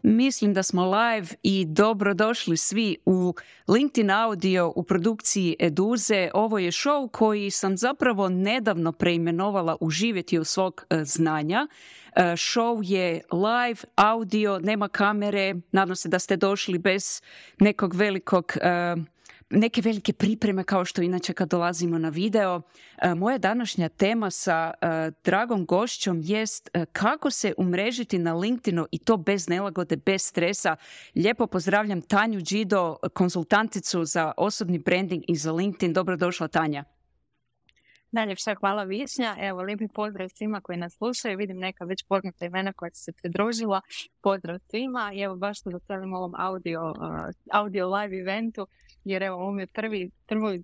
Mislim da smo live i dobrodošli svi u LinkedIn Audio u produkciji Eduze. Ovo je show koji sam zapravo nedavno preimenovala u živjeti u svog znanja. Show je live, audio, nema kamere. Nadam se da ste došli bez nekog neke velike pripreme kao što inače kad dolazimo na video. Moja današnja tema sa dragom gošćom jest kako se umrežiti na LinkedInu i to bez nelagode, bez stresa. Lijepo pozdravljam Tanju Đido, konzultanticu za osobni branding i za LinkedIn. Dobrodošla, Tanja. Najljepša hvala, Višnja. Evo, lijepi pozdrav svima koji nas slušaju. Vidim neka već poznata imena koja su se pridružila. Pozdrav svima i evo baš se veselim ovom audio live eventu, jer evo ovo mi je prvi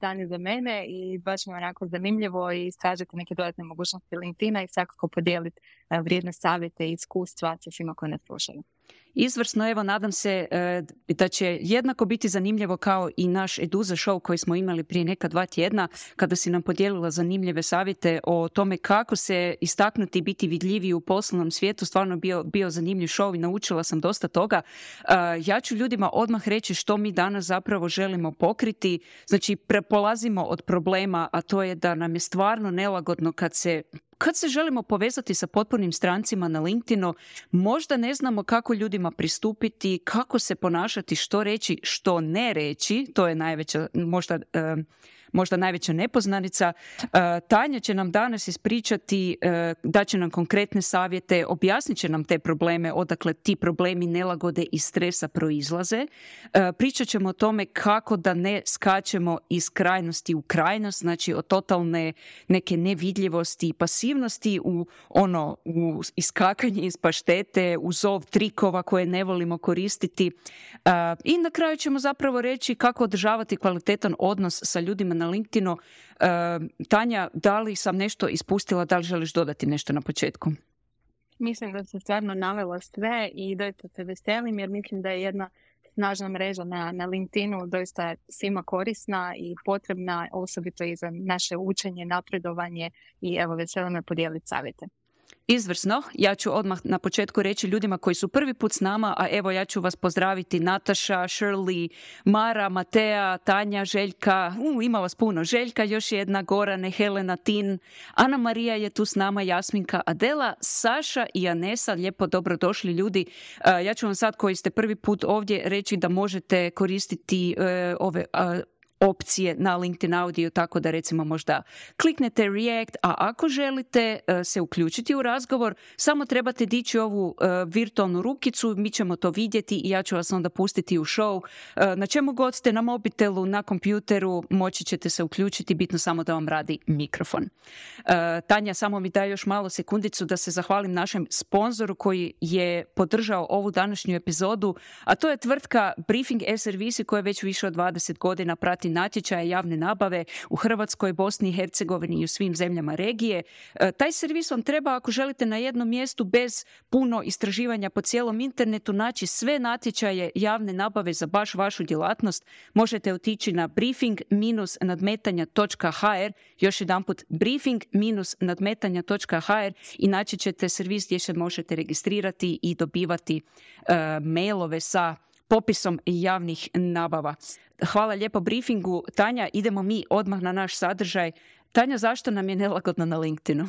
dan za mene i baš mi je onako zanimljivo i istražiti neke dodatne mogućnosti LinkedIna i svakako podijeliti vrijedne savjete i iskustva sa svima koji nas slušaju. Izvrsno, evo nadam se da će jednako biti zanimljivo kao i naš Eduza show koji smo imali prije neka 2 tjedna kada si nam podijelila zanimljive savjete o tome kako se istaknuti i biti vidljiviji u poslovnom svijetu. Stvarno bio zanimljiv show i naučila sam dosta toga. Ja ću ljudima odmah reći što mi danas zapravo želimo pokriti. Znači, polazimo od problema, a to je da nam je stvarno nelagodno kad se želimo povezati sa potpunim strancima na LinkedInu, možda ne znamo kako ljudima pristupiti, kako se ponašati, što reći, što ne reći. To je najveća, možda najveća nepoznanica. Tanja će nam danas ispričati, daće nam konkretne savjete, objasnit će nam te probleme, odakle ti problemi nelagode i stresa proizlaze. Pričat ćemo o tome kako da ne skačemo iz krajnosti u krajnost, znači od totalne neke nevidljivosti i pasivnosti u iskakanje iz paštete, u zov trikova koje ne volimo koristiti. I na kraju ćemo zapravo reći kako održavati kvalitetan odnos sa ljudima na LinkedInu. Tanja, da li sam nešto ispustila, da li želiš dodati nešto na početku? Mislim da se stvarno navelo sve i doista se veselim jer mislim da je jedna snažna mreža na LinkedInu doista svima korisna i potrebna, osobito i za naše učenje, napredovanje i evo veselim me podijeliti savjete. Izvrsno. Ja ću odmah na početku reći ljudima koji su prvi put s nama, a evo ja ću vas pozdraviti Nataša, Shirley, Mara, Matea, Tanja, Željka, ima vas puno, Željka, još jedna, Gorane, Helena, Tin, Ana Marija je tu s nama, Jasminka, Adela, Saša i Anesa, lijepo dobrodošli ljudi. Ja ću vam sad koji ste prvi put ovdje reći da možete koristiti ove opcije na LinkedIn Audio, tako da recimo možda kliknete React, a ako želite se uključiti u razgovor, samo trebate dići ovu virtualnu rukicu, mi ćemo to vidjeti i ja ću vas onda pustiti u show. Na čemu god ste, na mobitelu, na kompjuteru, moći ćete se uključiti, bitno samo da vam radi mikrofon. Tanja, samo mi daj još malo sekundicu da se zahvalim našem sponzoru koji je podržao ovu današnju epizodu, a to je tvrtka Briefing e-servisi koja već više od 20 godina prati natječaje javne nabave u Hrvatskoj, Bosni i Hercegovini i u svim zemljama regije. Taj servis vam treba ako želite na jednom mjestu bez puno istraživanja po cijelom internetu naći sve natječaje javne nabave za baš vašu djelatnost. Možete otići na briefing-nadmetanja.hr, još jedanput briefing-nadmetanja.hr i naći ćete servis gdje se možete registrirati i dobivati mailove sa popisom javnih nabava. Hvala lijepo briefingu. Tanja, idemo mi odmah na naš sadržaj. Tanja, zašto nam je nelagodno na LinkedInu?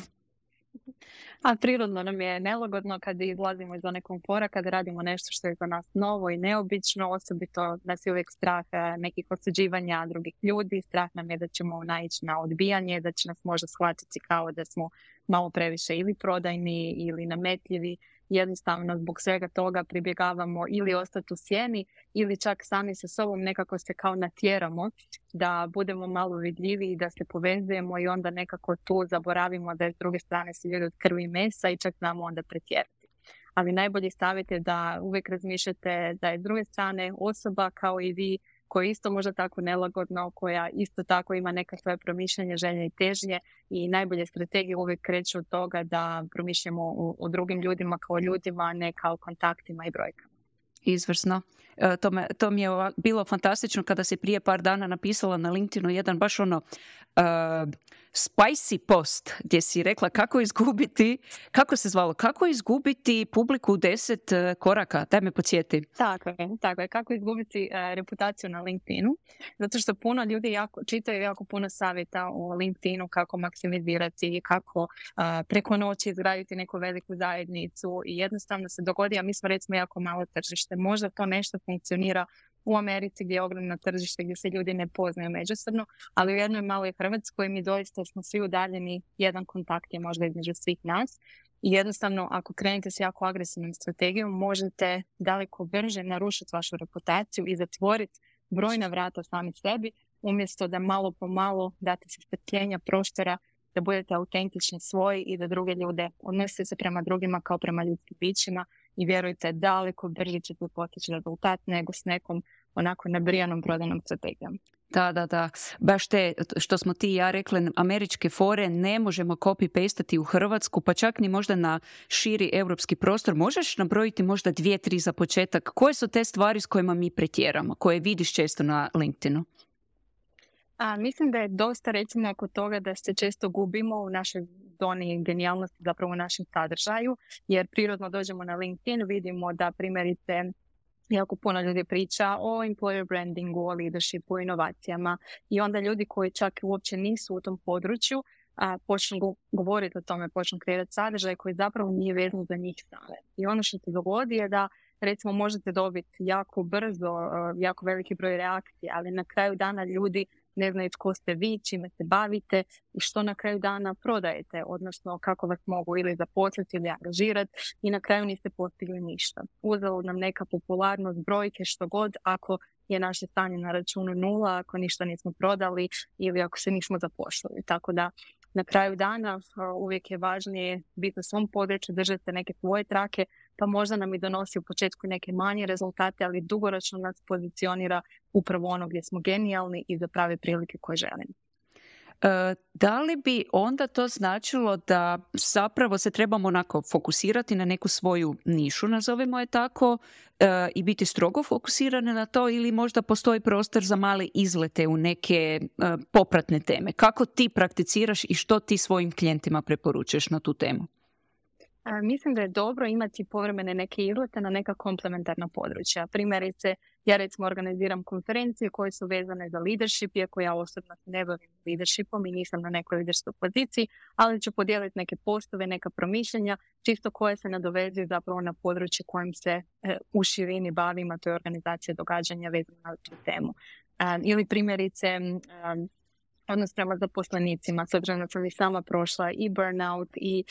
A prirodno nam je nelagodno kad izlazimo iz zone komfora, kad radimo nešto što je za nas novo i neobično, osobito nas je uvijek strah nekih osuđivanja drugih ljudi, strah nam je da ćemo naići na odbijanje, da će nas možda shvatiti kao da smo malo previše ili prodajni ili nametljivi. Jednostavno zbog svega toga pribjegavamo ili ostati u sjeni ili čak sami sa sobom nekako se kao natjeramo da budemo malo vidljivi i da se povezujemo i onda nekako tu zaboravimo da je s druge strane su ljudi od krvi i mesa i čak znamo onda pretjerati. Ali najbolji savjet je da uvijek razmišljate da je s druge strane osoba kao i vi koja je isto možda tako nelagodno, koja isto tako ima neka svoje promišljanje, želje i težnje i najbolje strategije uvijek kreću od toga da promišljamo o drugim ljudima kao ljudima, a ne kao kontaktima i brojkama. Izvrsno. To mi je bilo fantastično kada si prije par dana napisala na LinkedInu jedan baš spicy post gdje si rekla kako se zvalo, kako izgubiti publiku u 10 koraka. Daj me podsjeti. Tako je. Kako izgubiti reputaciju na LinkedInu. Zato što puno ljudi čitaju jako puno savjeta o LinkedInu, kako maksimizirati, kako preko noći izgraditi neku veliku zajednicu i jednostavno se dogodi, a mi smo recimo jako malo tržište. Možda to nešto funkcionira u Americi gdje je ogromno tržište gdje se ljudi ne poznaju međusobno, ali u jednoj maloj Hrvatskoj mi doista smo svi udaljeni, jedan kontakt je možda između svih nas i jednostavno ako krenete s jako agresivnom strategijom možete daleko brže narušiti vašu reputaciju i zatvoriti brojna vrata sami sebi umjesto da malo po malo date se strpljenja, prostora, da budete autentični svoji i da druge ljude odnosite se prema drugima kao prema ljudskim bićima i vjerujte daleko brže ćete postići rezultat nego s nekom onako nabrijanom prodanom strategijom. Da. Baš te, što smo ti i ja rekli, američke fore ne možemo copy-pastati u Hrvatsku, pa čak ni možda na širi europski prostor. Možeš nabrojiti možda 2-3 za početak? Koje su te stvari s kojima mi pretjeramo, koje vidiš često na LinkedInu? Mislim da je dosta recimo oko toga da se često gubimo u našoj zoni genijalnosti, zapravo u našem sadržaju, jer prirodno dođemo na LinkedIn, vidimo da primjerice jako puno ljudi priča o employer brandingu, o leadershipu, o inovacijama i onda ljudi koji čak uopće nisu u tom području počnu govoriti o tome, počnu kreirati sadržaj koji zapravo nije vezan za njih same. I ono što se dogodi je da recimo možete dobiti jako brzo, jako veliki broj reakcija, ali na kraju dana ljudi ne znaju tko ste vi, čime se bavite i što na kraju dana prodajete, odnosno kako vas mogu ili zaposliti ili angažirati i na kraju niste postigli ništa. Uzelo nam neka popularnost, brojke, što god, ako je naše stanje na računu 0, ako ništa nismo prodali ili ako se nismo zaposlili. Tako da na kraju dana uvijek je važnije biti na svom području, držati neke svoje trake, pa možda nam i donosi u početku neke manje rezultate, ali dugoročno nas pozicionira upravo ono gdje smo genijalni i za prave prilike koje želimo. Da li bi onda to značilo da zapravo se trebamo onako fokusirati na neku svoju nišu, nazovimo je tako, i biti strogo fokusirane na to ili možda postoji prostor za male izlete u neke popratne teme? Kako ti prakticiraš i što ti svojim klijentima preporučuješ na tu temu? Mislim da je dobro imati povremene neke izlete na neka komplementarna područja. Primjerice, ja recimo organiziram konferencije koje su vezane za leadership, iako ja osobno se ne bavim leadershipom i nisam na nekoj liderskoj poziciji, ali ću podijeliti neke postove, neka promišljenja, čisto koje se nadovezuju zapravo na područje kojim se u širini bavim, a to je organizacija događanja vezana na tu temu. Ili primjerice, odnos prema zaposlenicima, s obzirom da sam i sama prošla i burnout i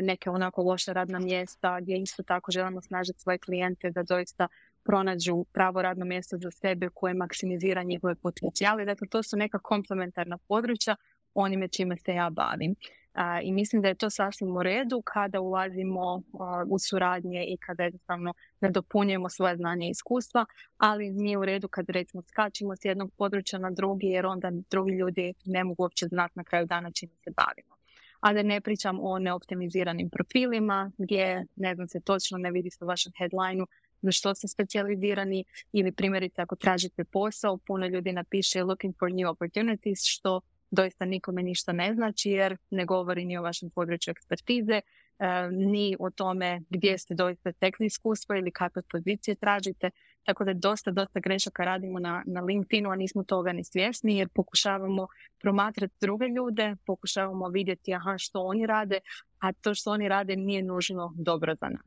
neke onako loše radna mjesta gdje isto tako želimo snažiti svoje klijente da doista pronađu pravo radno mjesto za sebe koje maksimizira njihove potencijale. Dakle, to su neka komplementarna područja onime čime se ja bavim. I mislim da je to sasvim u redu kada ulazimo u suradnje i kada jednostavno nadopunjujemo svoje znanje i iskustva, ali nije u redu kad recimo skačimo s jednog područja na drugi jer onda drugi ljudi ne mogu uopće znati na kraju dana čime se bavimo. A da ne pričam o neoptimiziranim profilima gdje ne znam se točno ne vidi se u vašem headlineu za što ste specijalizirani ili primjerice ako tražite posao, puno ljudi napiše looking for new opportunities, što doista nikome ništa ne znači jer ne govori ni o vašem području ekspertize, ni o tome gdje ste doista stekli iskustvo ili kakve pozicije tražite. Tako da dosta grešaka radimo na LinkedInu, a nismo toga ni svjesni jer pokušavamo promatrati druge ljude, pokušavamo vidjeti što oni rade, a to što oni rade nije nužno dobro za nas.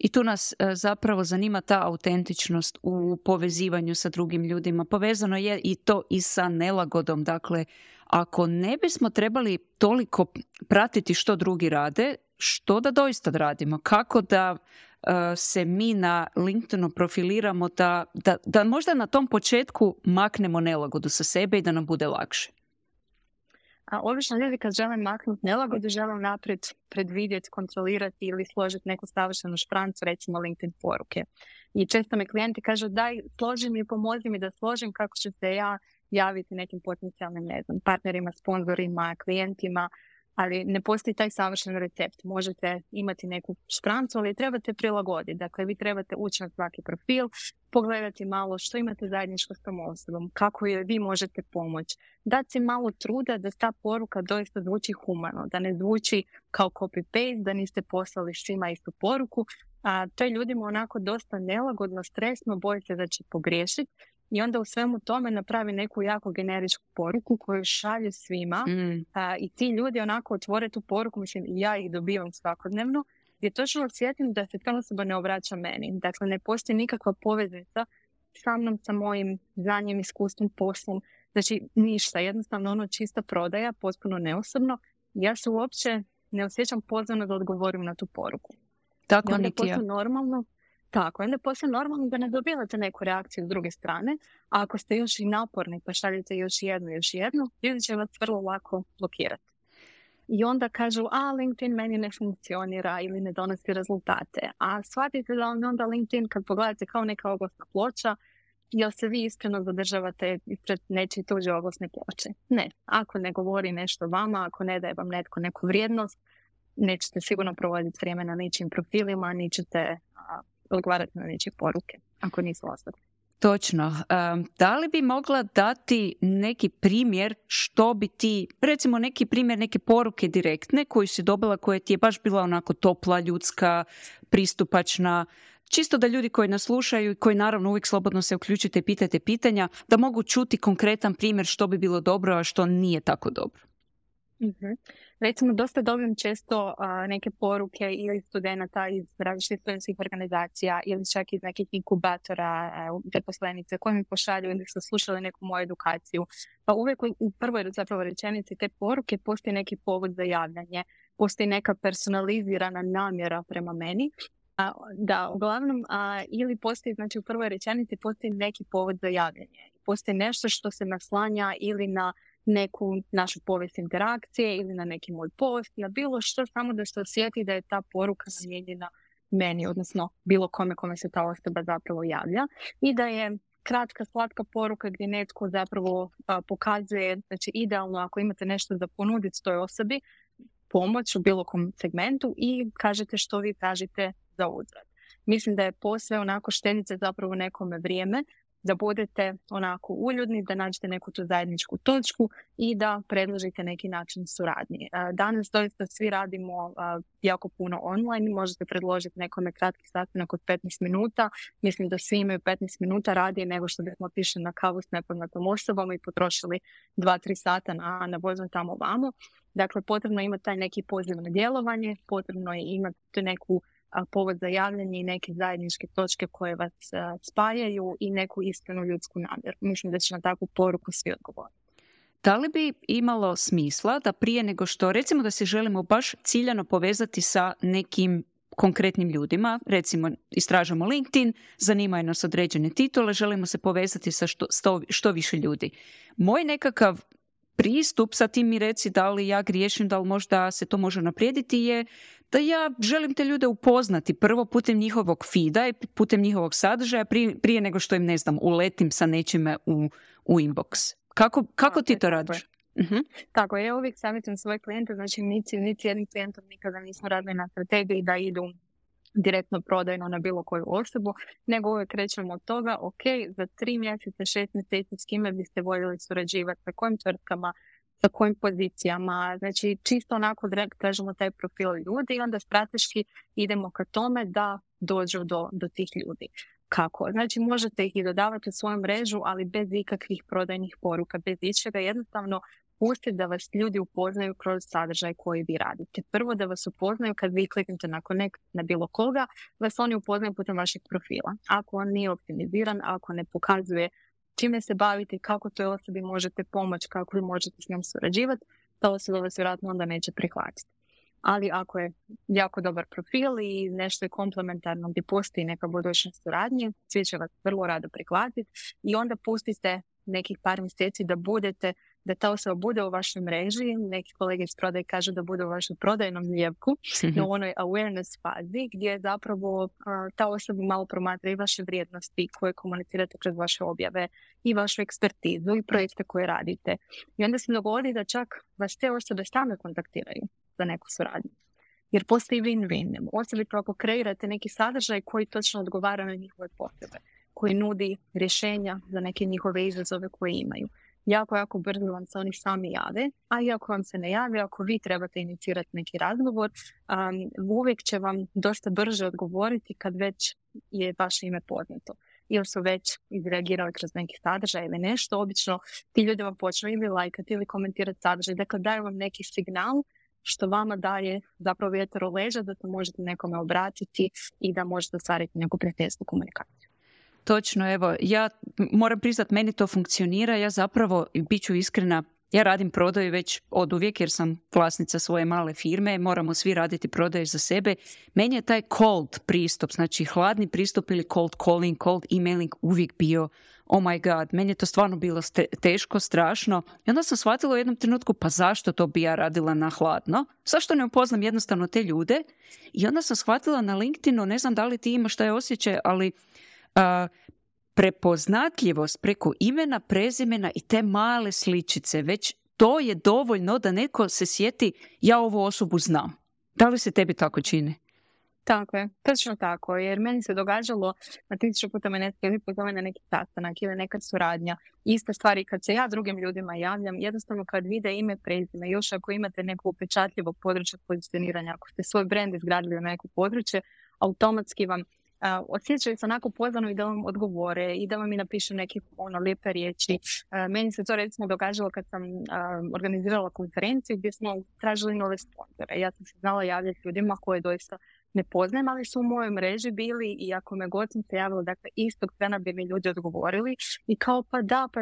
I tu nas zapravo zanima ta autentičnost u povezivanju sa drugim ljudima. Povezano je i to i sa nelagodom. Dakle, ako ne bismo trebali toliko pratiti što drugi rade, što da doista radimo? Kako da se mi na LinkedInu profiliramo da možda na tom početku maknemo nelagodu sa sebe i da nam bude lakše? A obično ljudi kad žele maknuti nelagodu, žele naprijed predvidjeti, kontrolirati ili složiti neku savršenu šprancu, recimo LinkedIn poruke. I često me klijenti kažu daj, složi mi, pomozi mi da složim kako ću se ja javiti nekim potencijalnim, ne znam, partnerima, sponzorima, klijentima. Ali ne postoji taj savršen recept. Možete imati neku šprancu, ali trebate prilagoditi. Dakle, vi trebate ući na svaki profil, pogledati malo što imate zajedničko s tom osobom, kako joj vi možete pomoći. Dati si malo truda da ta poruka doista zvuči humano, da ne zvuči kao copy-paste, da niste poslali svima istu poruku. A to je ljudima onako dosta nelagodno, stresno, boje se da će pogriješiti. I onda u svemu tome napravi neku jako generičku poruku koju šalju svima i ti ljudi onako otvore tu poruku, mislim ja ih dobivam svakodnevno, gdje točno osjetim da se ta osoba ne obraća meni. Dakle, ne postoji nikakva poveznica sa mnom, sa mojim znanjem, iskustvom, poslom. Znači, ništa. Jednostavno ono čista prodaja, potpuno neosobno. Ja se uopće ne osjećam pozvano da odgovorim na tu poruku. Tako I onda niti ja. postoji normalno. Tako, onda poslije normalno da ne dobivate neku reakciju s druge strane, a ako ste još i naporni pa šaljete još jednu, ljudi će vas vrlo lako blokirati. I onda kažu, LinkedIn meni ne funkcionira ili ne donosi rezultate. A shvatite da onda LinkedIn, kad pogledate kao neka oglasna ploča, jel se vi iskreno zadržavate ispred nečije tuđe oglasne ploče? Ne. Ako ne govori nešto vama, ako ne daje vam netko neku vrijednost, nećete sigurno provoditi vrijeme na ničim profilima, nećete odgovarati na nečije poruke, ako nisu osobne. Točno. Da li bi mogla dati neki primjer što bi ti, recimo neki primjer neke poruke direktne koju si dobila, koja ti je baš bila onako topla, ljudska, pristupačna, čisto da ljudi koji nas slušaju i koji naravno uvijek slobodno se uključite i pitajte pitanja, da mogu čuti konkretan primjer što bi bilo dobro, a što nije tako dobro. Mm-hmm. Recimo, dosta dobijem često neke poruke ili studenata iz različitih studentskih organizacija ili čak iz nekih inkubatora, zaposlenice koji mi pošalju ili su slušali neku moju edukaciju. Pa uvijek u prvoj zapravo rečenici te poruke postoji neki povod za javljanje, postoji neka personalizirana namjera prema meni. Da, uglavnom, ili postoji, znači u prvoj rečenici postoji neki povod za javljanje. Postoji nešto što se naslanja ili na neku našu povijest interakcije ili na neki moj post, na bilo što, samo da se osjeti da je ta poruka namijenjena meni, odnosno bilo kome se ta osoba zapravo javlja, i da je kratka, slatka poruka gdje netko zapravo pokazuje, znači idealno ako imate nešto za ponuditi toj osobi, pomoć u bilo kom segmentu i kažete što vi tražite za uzvrat. Mislim da je posve onako štedite zapravo nekome vrijeme, da budete onako uljudni, da nađete neku tu zajedničku točku i da predložite neki način suradnje. Danas doista svi radimo jako puno online, možete predložiti nekome kratki sastanak od 15 minuta. Mislim da svi imaju 15 minuta radije nego što bismo otišli na kavu s nepoznatom osobom i potrošili 2-3 sata na vožnju tamo vamo. Dakle, potrebno je imati taj neki poziv na djelovanje, potrebno je imati neku povod za javljanje i neke zajedničke točke koje vas spajaju i neku iskrenu ljudsku namjeru. Mislim da će na takvu poruku svi odgovoriti. Da li bi imalo smisla da prije nego što, recimo da se želimo baš ciljano povezati sa nekim konkretnim ljudima, recimo istražujemo LinkedIn, zanimaju nas određene titule, želimo se povezati sa što više ljudi. Moj nekakav pristup, sa tim mi reci da li ja griješim, da li možda se to može naprijediti, je da ja želim te ljude upoznati prvo putem njihovog feeda i putem njihovog sadržaja prije nego što im, ne znam, uletim sa nečime u inbox. Kako ti to radiš? Uh-huh. Tako, ja uvijek savjetujem svoje klijente, znači niti jednim klijentom nikada nismo radili na strategiji da idu direktno prodajno na bilo koju osobu, nego uvijek krećemo od toga, ok, za 3 mjeseca, 6 mjeseci s kime biste voljeli surađivati, sa kojim tvrtkama, sa kojim pozicijama, znači čisto onako tražimo taj profil ljudi i onda strateški idemo ka tome da dođu do tih ljudi. Kako? Znači možete ih i dodavati u svoju mrežu, ali bez ikakvih prodajnih poruka, bez ičega, jednostavno pustite da vas ljudi upoznaju kroz sadržaj koji vi radite. Prvo da vas upoznaju kad vi kliknete na connect na bilo koga, vas oni upoznaju putem vašeg profila. Ako on nije optimiziran, ako ne pokazuje čime se bavite, kako toj osobi možete pomoći, kako vi možete s njom surađivati, ta osoba vas vjerojatno onda neće prihvatiti. Ali ako je jako dobar profil i nešto je komplementarno gdje postoji neka budućnost suradnje, svi će vas vrlo rado prihvatiti i onda pustite nekih par mjeseci da budete da ta osoba bude u vašoj mreži, neki kolege iz prodaje kažu da bude u vašoj prodajnom ljepku, no u onoj awareness fazi gdje zapravo ta osoba malo promatra i vaše vrijednosti koje komunicirate kroz vaše objave i vašu ekspertizu i projekte koje radite. I onda se dogodi da čak vas te osobe same kontaktiraju za neku suradnju. Jer postoji win-win. Osobito ako kreirate neki sadržaj koji točno odgovara na njihove potrebe, koji nudi rješenja za neke njihove izazove koje imaju. Jako brzo vam se oni sami jave, a i ako vam se ne jave, ako vi trebate inicirati neki razgovor, uvijek će vam dosta brže odgovoriti kad već je vaše ime poznato. Ili su već izreagirali kroz neki sadržaj ili nešto. Obično ti ljudi vam počnu ili lajkati ili komentirati sadržaj. Dakle, daju vam neki signal što vama daje zapravo vjetar u leđa da se možete nekome obratiti i da možete ostvariti neku prijateljsku komunikaciju. Točno, evo, ja moram priznat, meni to funkcionira, ja zapravo, bit ću iskrena, ja radim prodaju već od uvijek jer sam vlasnica svoje male firme, moramo svi raditi prodaju za sebe. Meni je taj cold pristup, znači hladni pristup ili cold calling, cold emailing uvijek bio, oh my god, meni je to stvarno bilo teško, strašno. I onda sam shvatila u jednom trenutku, pa zašto to bi ja radila na hladno? Zašto ne upoznam jednostavno te ljude? I onda sam shvatila na LinkedInu, ne znam da li ti imaš taj osjećaj, ali prepoznatljivost preko imena, prezimena i te male sličice, već to je dovoljno da neko se sjeti ja ovu osobu znam. Da li se tebi tako čini? Tako je, točno tako, jer meni se događalo na 1000 puta me netko ili pozove na neki sastanak ili nekad suradnja. Ista stvar i kad se ja drugim ljudima javljam, jednostavno kad vide ime, prezime, još ako imate neko upečatljivo područje pozicioniranja, ako ste svoj brand izgradili na neko područje, automatski vam osjećaju se onako pozvano i da vam odgovore i da vam i napišu neke lijepe riječi. Meni se to recimo događalo kad sam organizirala konferenciju gdje smo tražili nove sponzore. Ja sam se znala javljati ljudima koje doista ne poznajem, ali su u mojoj mreži bili i ako me god sam se javila, dakle istog trena bi mi ljudi odgovorili i kao pa da, pa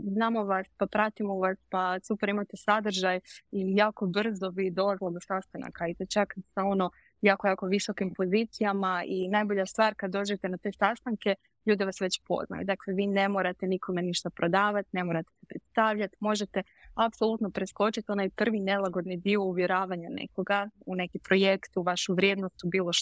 znamo vas, pa pratimo vas, pa super imate sadržaj i jako brzo bi dolazilo do sastanaka i to čak sa jako visokim pozicijama i najbolja stvar kad dođete na te sastanke, ljudi vas već poznaju. Dakle, vi ne morate nikome ništa prodavati, ne morate se predstavljati, možete apsolutno preskočiti onaj prvi nelagodni dio uvjeravanja nekoga u neki projekt, u vašu vrijednost, u bilo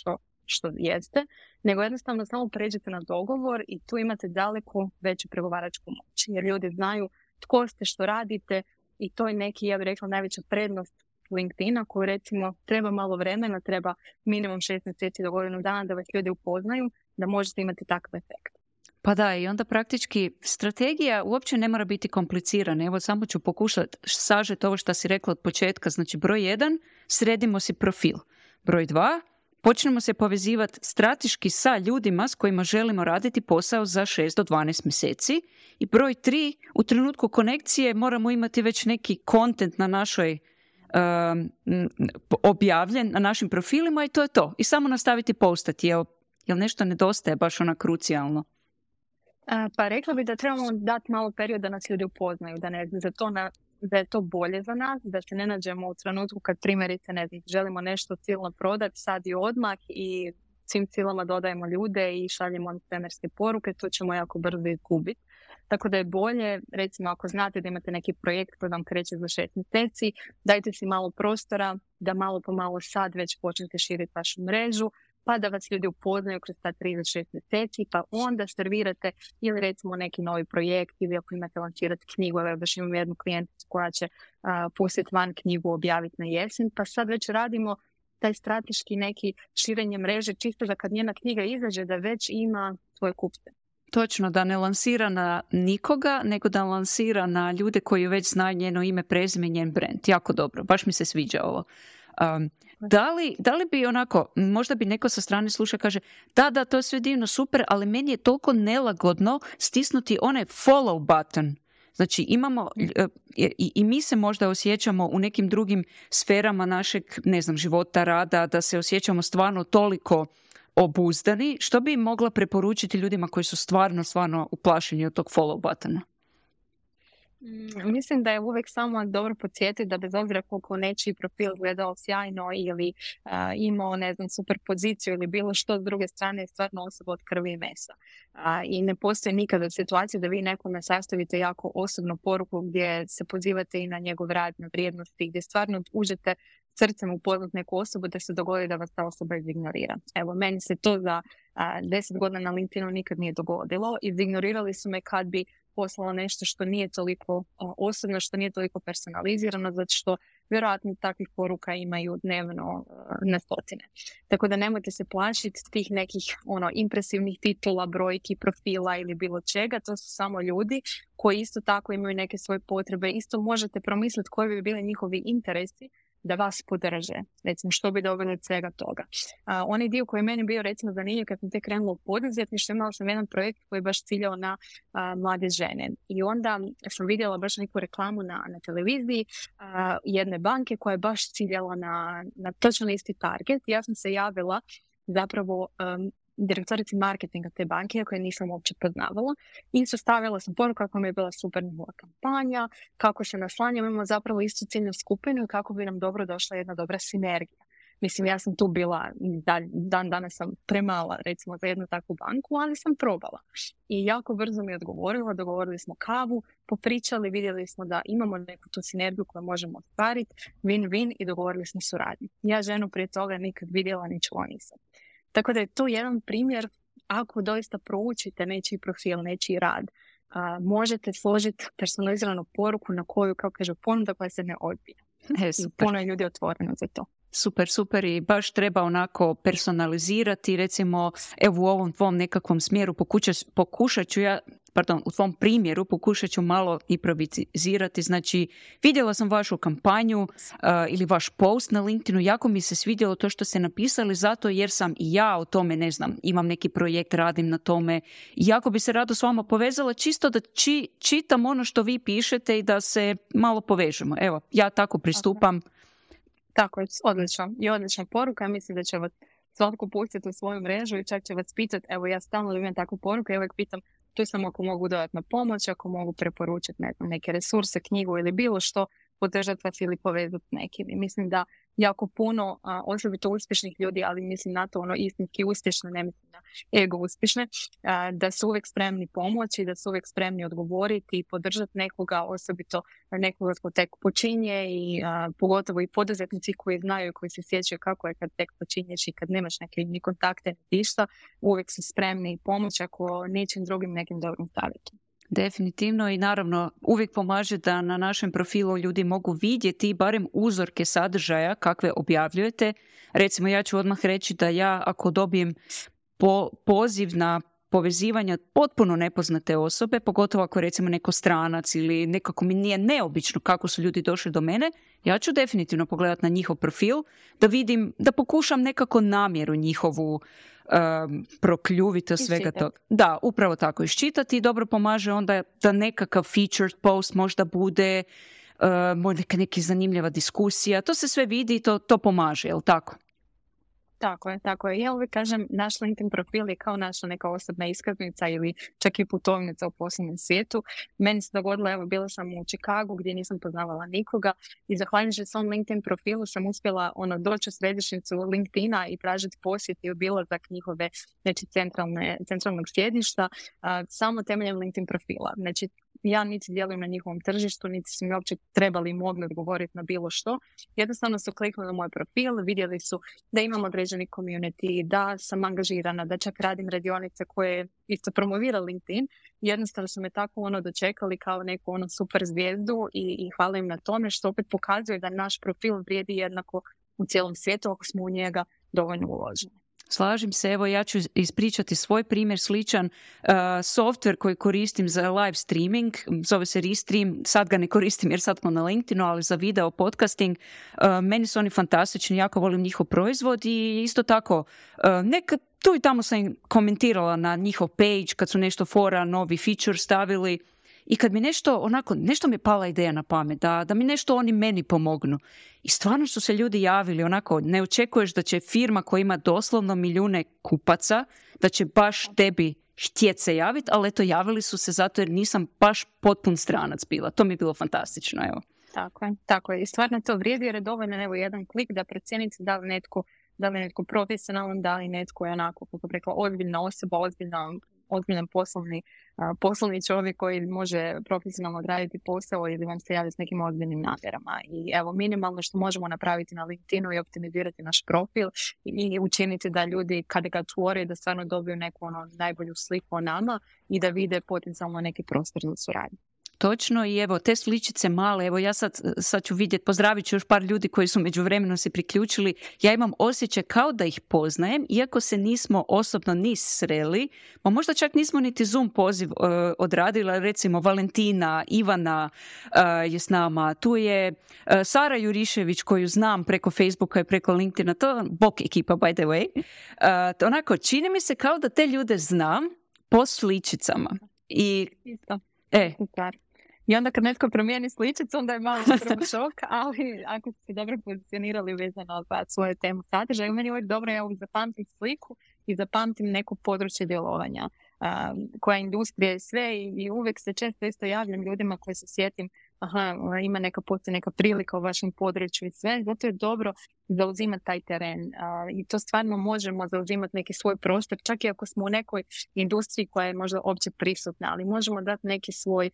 što jeste, nego jednostavno samo pređete na dogovor i tu imate daleko veću pregovaračku moć. Jer ljudi znaju tko ste, što radite i to je neki, ja bih rekla, najveća prednost LinkedIna koju recimo treba malo vremena, treba minimum 6 mjeseci do godinu dana da vas ljudi upoznaju, da možete imati takav efekt. Pa da, i onda praktički strategija uopće ne mora biti komplicirana. Evo samo ću pokušati sažeti ovo što si rekla od početka. Znači broj 1, sredimo si profil. Broj 2, počnemo se povezivati strateški sa ljudima s kojima želimo raditi posao za 6 do 12 mjeseci. I broj 3, u trenutku konekcije moramo imati već neki content na našoj objavljen na našim profilima i to je to. I samo nastaviti postati. Jel nešto nedostaje baš ona krucijalno? Pa rekla bi da trebamo dati malo period da nas ljudi upoznaju, da je to bolje za nas, da se ne nađemo u trenutku kad primjerice želimo nešto silno prodati sad i odmah i svim silama dodajemo ljude i šaljemo svemirske poruke, to ćemo jako brzo izgubiti. Tako da je bolje, recimo ako znate da imate neki projekt koji vam kreće za 6 mjeseci, dajte si malo prostora da malo po malo sad već počnete širiti vašu mrežu, pa da vas ljudi upoznaju kroz ta 3 do 6 mjeseci, pa onda servirate ili recimo neki novi projekt ili ako imate lancirati knjigu, evo baš imam jednu klijenticu koja će pustiti van knjigu, objaviti na jesen, pa sad već radimo taj strateški neki širenje mreže čisto da kad njena knjiga izađe da već ima svoje kupce. Točno, da ne lansira na nikoga, nego da lansira na ljude koji već znaju njeno ime, prezime, njen brand. Jako dobro, baš mi se sviđa ovo. Da li bi onako, možda bi neko sa strane sluša kaže da, to je sve divno, super, ali meni je toliko nelagodno stisnuti onaj follow button. Znači imamo, i mi se možda osjećamo u nekim drugim sferama našeg, života, rada, da se osjećamo stvarno toliko obuzdani. Što bi mogla preporučiti ljudima koji su stvarno uplašeni od tog follow buttona? Mislim da je uvijek samo dobro podsjetiti da bez obzira koliko nečiji profil gledao sjajno ili imao, ne znam, super poziciju ili bilo što, s druge strane je stvarno osoba od krvi i mesa. I ne postoji nikada situacija da vi nekome sastavite jako osobnu poruku gdje se pozivate i na njegov rad, na vrijednosti, gdje stvarno uđete srcem upoznat neku osobu da se dogodi da vas ta osoba izignorira. Evo, meni se to za 10 godina na LinkedInu nikad nije dogodilo. Izignorirali su me kad bi poslala nešto što nije toliko osobno, što nije toliko personalizirano, zato što vjerojatno takvih poruka imaju dnevno na stotine. Tako da nemojte se plašiti tih nekih impresivnih titula, brojki, profila ili bilo čega. To su samo ljudi koji isto tako imaju neke svoje potrebe. Isto možete promisliti koji bi bili njihovi interesi da vas podrže. Recimo, što bi dobili od svega toga. Onaj dio koji je meni bio, recimo, zanimljiv kad sam tek krenula u poduzetništvo, imala sam jedan projekt koji je baš ciljao na mlade žene. I onda sam vidjela baš neku reklamu na televiziji jedne banke koja je baš ciljala na točno isti target. Ja sam se javila zapravo direktorici marketinga te banke, koje nisam uopće poznavala, i sastavila sam poruku kako mi je bila super njihova kampanja, kako se naslanjamo, imamo zapravo istu ciljnu skupinu i kako bi nam dobro došla jedna dobra sinergija. Mislim, ja sam tu bila, dan danas sam premala, recimo, za jednu takvu banku, ali sam probala. I jako brzo mi je odgovorila, dogovorili smo kavu, popričali, vidjeli smo da imamo neku tu sinergiju koju možemo ostvariti, win-win, i dogovorili smo suradnju. Ja ženu prije toga nikad vidjela, ni čula nisam. Tako da je to jedan primjer, ako doista proučite nečiji profil, nečiji rad, možete složiti personaliziranu poruku na koju, kao kaže, ponuda koja se ne odbija. I puno je ljudi otvoreno za to. Super, i baš treba onako personalizirati, recimo, evo u ovom tvom nekakvom smjeru pokušat ću ja, u tvom primjeru pokušat ću malo improvizirati. Znači, vidjela sam vašu kampanju ili vaš post na LinkedInu, jako mi se svidjelo to što ste napisali, zato jer sam i ja o tome, ne znam, imam neki projekt, radim na tome, i jako bi se rado s vama povezala, čisto da čitam ono što vi pišete i da se malo povežemo. Evo, ja tako pristupam. Tako je, odlično. I odlična poruka. Mislim da će vas svatko pustiti u svoju mrežu i čak će vas pitati, evo, ja stalno imam takvu poruku, ja uvijek pitam, tu sam ako mogu dodatno pomoć, ako mogu preporučiti neke resurse, knjigu ili bilo što, podržati vas ili povezati nekim. I mislim da jako puno, osobito uspješnih ljudi, ali mislim na to istinski uspješne, ne mislim na ego uspješne, da su uvijek spremni pomoći, da su uvijek spremni odgovoriti i podržati nekoga, osobito nekoga ko tek počinje, i pogotovo i poduzetnici koji znaju, koji se sjećaju kako je kad tek počinješ i kad nemaš neke ni kontakte, ništa, uvijek su spremni pomoći ako nečim drugim, nekim dobrim savjetom. Definitivno, i naravno uvijek pomaže da na našem profilu ljudi mogu vidjeti barem uzorke sadržaja kakve objavljujete. Recimo, ja ću odmah reći da ja ako dobijem poziv na povezivanja potpuno nepoznate osobe, pogotovo ako je recimo neko stranac ili nekako mi nije neobično kako su ljudi došli do mene, ja ću definitivno pogledati na njihov profil da vidim, da pokušam nekako namjeru njihovu prokljuviti od svega toga. Da, upravo tako, iščitati, i dobro pomaže onda da nekakav featured post možda bude, možda neka zanimljiva diskusija, to se sve vidi i to pomaže, jel tako? Tako je. Ja uvijek kažem, naš LinkedIn profil je kao naša neka osobna iskaznica ili čak i putovnica u poslovnom svijetu. Meni se dogodilo, evo, bila sam u Chicagu gdje nisam poznavala nikoga i zahvaljujući svom LinkedIn profilu sam uspjela doći u središnjicu LinkedIna i tražiti posjet i obilazak njihove, znači, centralnog sjedišta, samo temeljem LinkedIn profila. Znači, ja niti djelujem na njihovom tržištu, niti su mi uopće trebali i mogli odgovoriti na bilo što. Jednostavno su kliknuli na moj profil, vidjeli su da imam određeni community, da sam angažirana, da čak radim radionice koje isto promovira LinkedIn. Jednostavno su me tako dočekali kao neku super zvijezdu i hvala im na tome, što opet pokazuje da naš profil vrijedi jednako u cijelom svijetu ako smo u njega dovoljno uloženi. Slažem se, evo ja ću ispričati svoj primjer sličan. Software koji koristim za live streaming, zove se Restream, sad ga ne koristim jer sad smo na LinkedInu, ali za video podcasting, meni su oni fantastični, jako volim njihov proizvod, i isto tako nekad tu i tamo sam komentirala na njihov page kad su nešto fora, novi feature stavili. I kad mi nešto mi je pala ideja na pamet, da mi nešto oni meni pomognu. I stvarno su se ljudi javili, ne očekuješ da će firma koja ima doslovno milijune kupaca, da će baš tebi htjeti se javiti, ali eto, javili su se zato jer nisam baš potpun stranac bila. To mi je bilo fantastično, evo. Tako je. I stvarno to vrijedi jer je dovoljno evo jedan klik da procijenite da li netko profesionalan, da li netko je onako, kako bi rekla, ozbiljna osoba, ozbiljan poslovni čovjek koji može profesionalno odraditi posao ili vam se javi s nekim ozbiljnim namjerama. I evo, minimalno što možemo napraviti na LinkedInu i optimizirati naš profil i učiniti da ljudi kada ga otvore da stvarno dobiju neku najbolju sliku o nama i da vide potencijalno neki prostor za suradnju. Točno, i evo, te sličice male, evo ja sad ću vidjeti, pozdravit ću još par ljudi koji su međuvremeno se priključili. Ja imam osjećaj kao da ih poznajem, iako se nismo osobno ni sreli, pa možda čak nismo niti Zoom poziv odradila, recimo Valentina, Ivana je s nama, tu je Sara Jurišević koju znam preko Facebooka i preko LinkedIna, to bok ekipa by the way. Onako, čini mi se kao da te ljude znam po sličicama. Isto. I onda kad netko promijeni sličicu, onda je malo prvo šok, ali ako ste dobro pozicionirali vezano za svoju temu sadržaja, meni je uvijek dobro, ja uvijek zapamtim sliku i zapamtim neko područje djelovanja, koja industrija je sve i uvijek se često isto javljam ljudima koji se sjetim, postoji neka prilika u vašem području i sve, zato je dobro zauzimati taj teren i to stvarno možemo zauzimati neki svoj prostor, čak i ako smo u nekoj industriji koja je možda opće prisutna, ali možemo dati neki svoj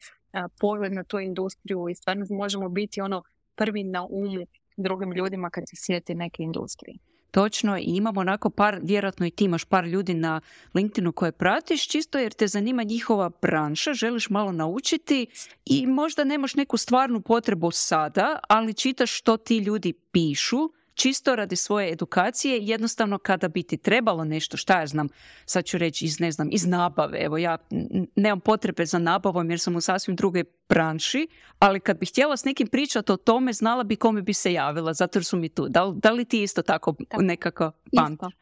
pogled na tu industriju i stvarno možemo biti prvi na umu drugim ljudima kad se sjeti neke industrije. Točno, i imamo onako vjerojatno i ti imaš par ljudi na LinkedInu koje pratiš, čisto jer te zanima njihova branša, želiš malo naučiti i možda nemaš neku stvarnu potrebu sada, ali čitaš što ti ljudi pišu, čisto radi svoje edukacije, jednostavno kada bi ti trebalo nešto, šta ja znam, sad ću reći iz nabave, evo ja nemam potrebe za nabavom jer sam u sasvim drugoj branši, ali kad bih htjela s nekim pričati o tome, znala bi kome bi se javila, zato jer su mi tu. Da li ti isto tako nekako pamtiš?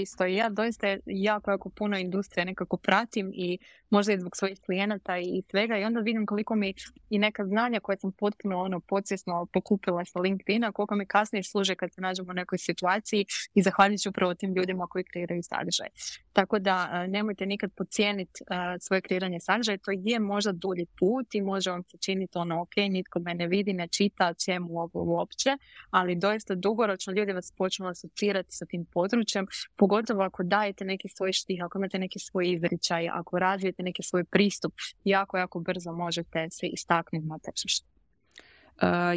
Isto. Ja doista jako puno industrije nekako pratim i možda i zbog svojih klijenata i svega i onda vidim koliko mi i neka znanja koje sam potpuno podsvjesno pokupila sa LinkedIna, koliko mi kasnije služe kad se nađemo u nekoj situaciji i zahvaljujući upravo tim ljudima koji kreiraju sadržaj. Tako da nemojte nikad podcijeniti svoje kreiranje sadržaja, to je možda dulji put i može vam se činiti ok, nitko me ne vidi, ne čita čemu ovo uopće, ali doista dugoročno ljudi vas počnu asocirati sa tim područjem, pogotovo ako dajete neki svoj štih, ako imate neki svoj izričaj, ako razvijete neki svoj pristup, jako brzo možete se istaknuti na tržištu.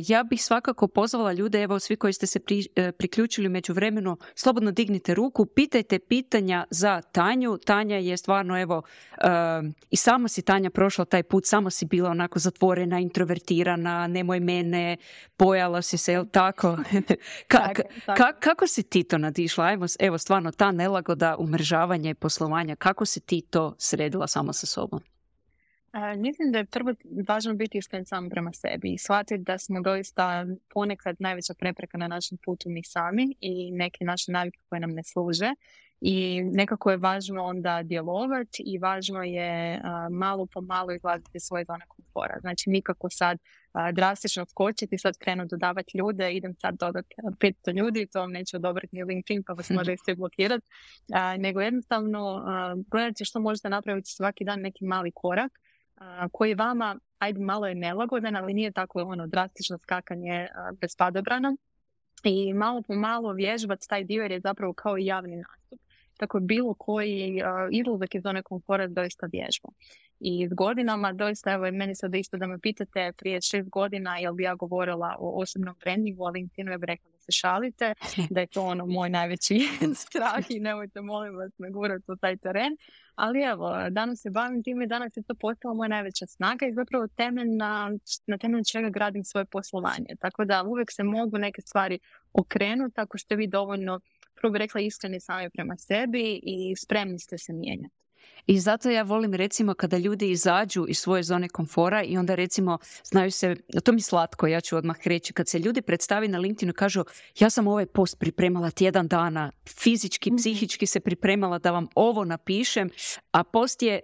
Ja bih svakako pozvala ljude, evo svi koji ste se priključili u međuvremenu, slobodno dignite ruku, pitajte pitanja za Tanju. Tanja je stvarno, evo, i sama si Tanja prošla taj put, samo si bila onako zatvorena, introvertirana, nemoj mene, bojala si se, jel tako? Kako si ti to nadišla? Evo, stvarno, ta nelagoda umrežavanja i poslovanja, kako si ti to sredila sama sa sobom? Mislim da je prvo važno biti iskren sam prema sebi i shvatiti da smo doista ponekad najveća prepreka na našem putu mi sami i neke naše navike koje nam ne služe i nekako je važno onda djelovati i važno je malo po malo izlaziti iz svoje zone komfora. Znači nikako sad drastično skočiti, sad krenu dodavati ljude, idem sad dodati 500 ljudi, to vam neće odobriti ni LinkedIn pa vas može sve blokirati, nego jednostavno gledajte što možete napraviti svaki dan neki mali korak koji vama, malo je nelagodan, ali nije tako drastično skakanje bez padobrana i malo po malo vježbati taj dio jer je zapravo kao i javni nastup. Tako bilo koji izlazak iz zone komfora doista vježba. I s godinama, doista, evo meni sad isto da me pitate prije 6 godina jel bi ja govorila o osobnom brandingu, ali LinkedInu ja bih rekla da se šalite, da je to moj najveći strah i nemojte molim vas me gurati u taj teren. Ali evo, danas se bavim time i danas je to postala moja najveća snaga i zapravo na temelju čega gradim svoje poslovanje. Tako da uvijek se mogu neke stvari okrenuti ako ste vi dovoljno, prvo bih rekla, iskreni sami prema sebi i spremni ste se mijenjati. I zato ja volim recimo kada ljudi izađu iz svoje zone komfora i onda recimo znaju se, to mi slatko, ja ću odmah reći, kad se ljudi predstavi na LinkedInu i kažu ja sam ovaj post pripremala tjedan dana, fizički, psihički se pripremala da vam ovo napišem, a post je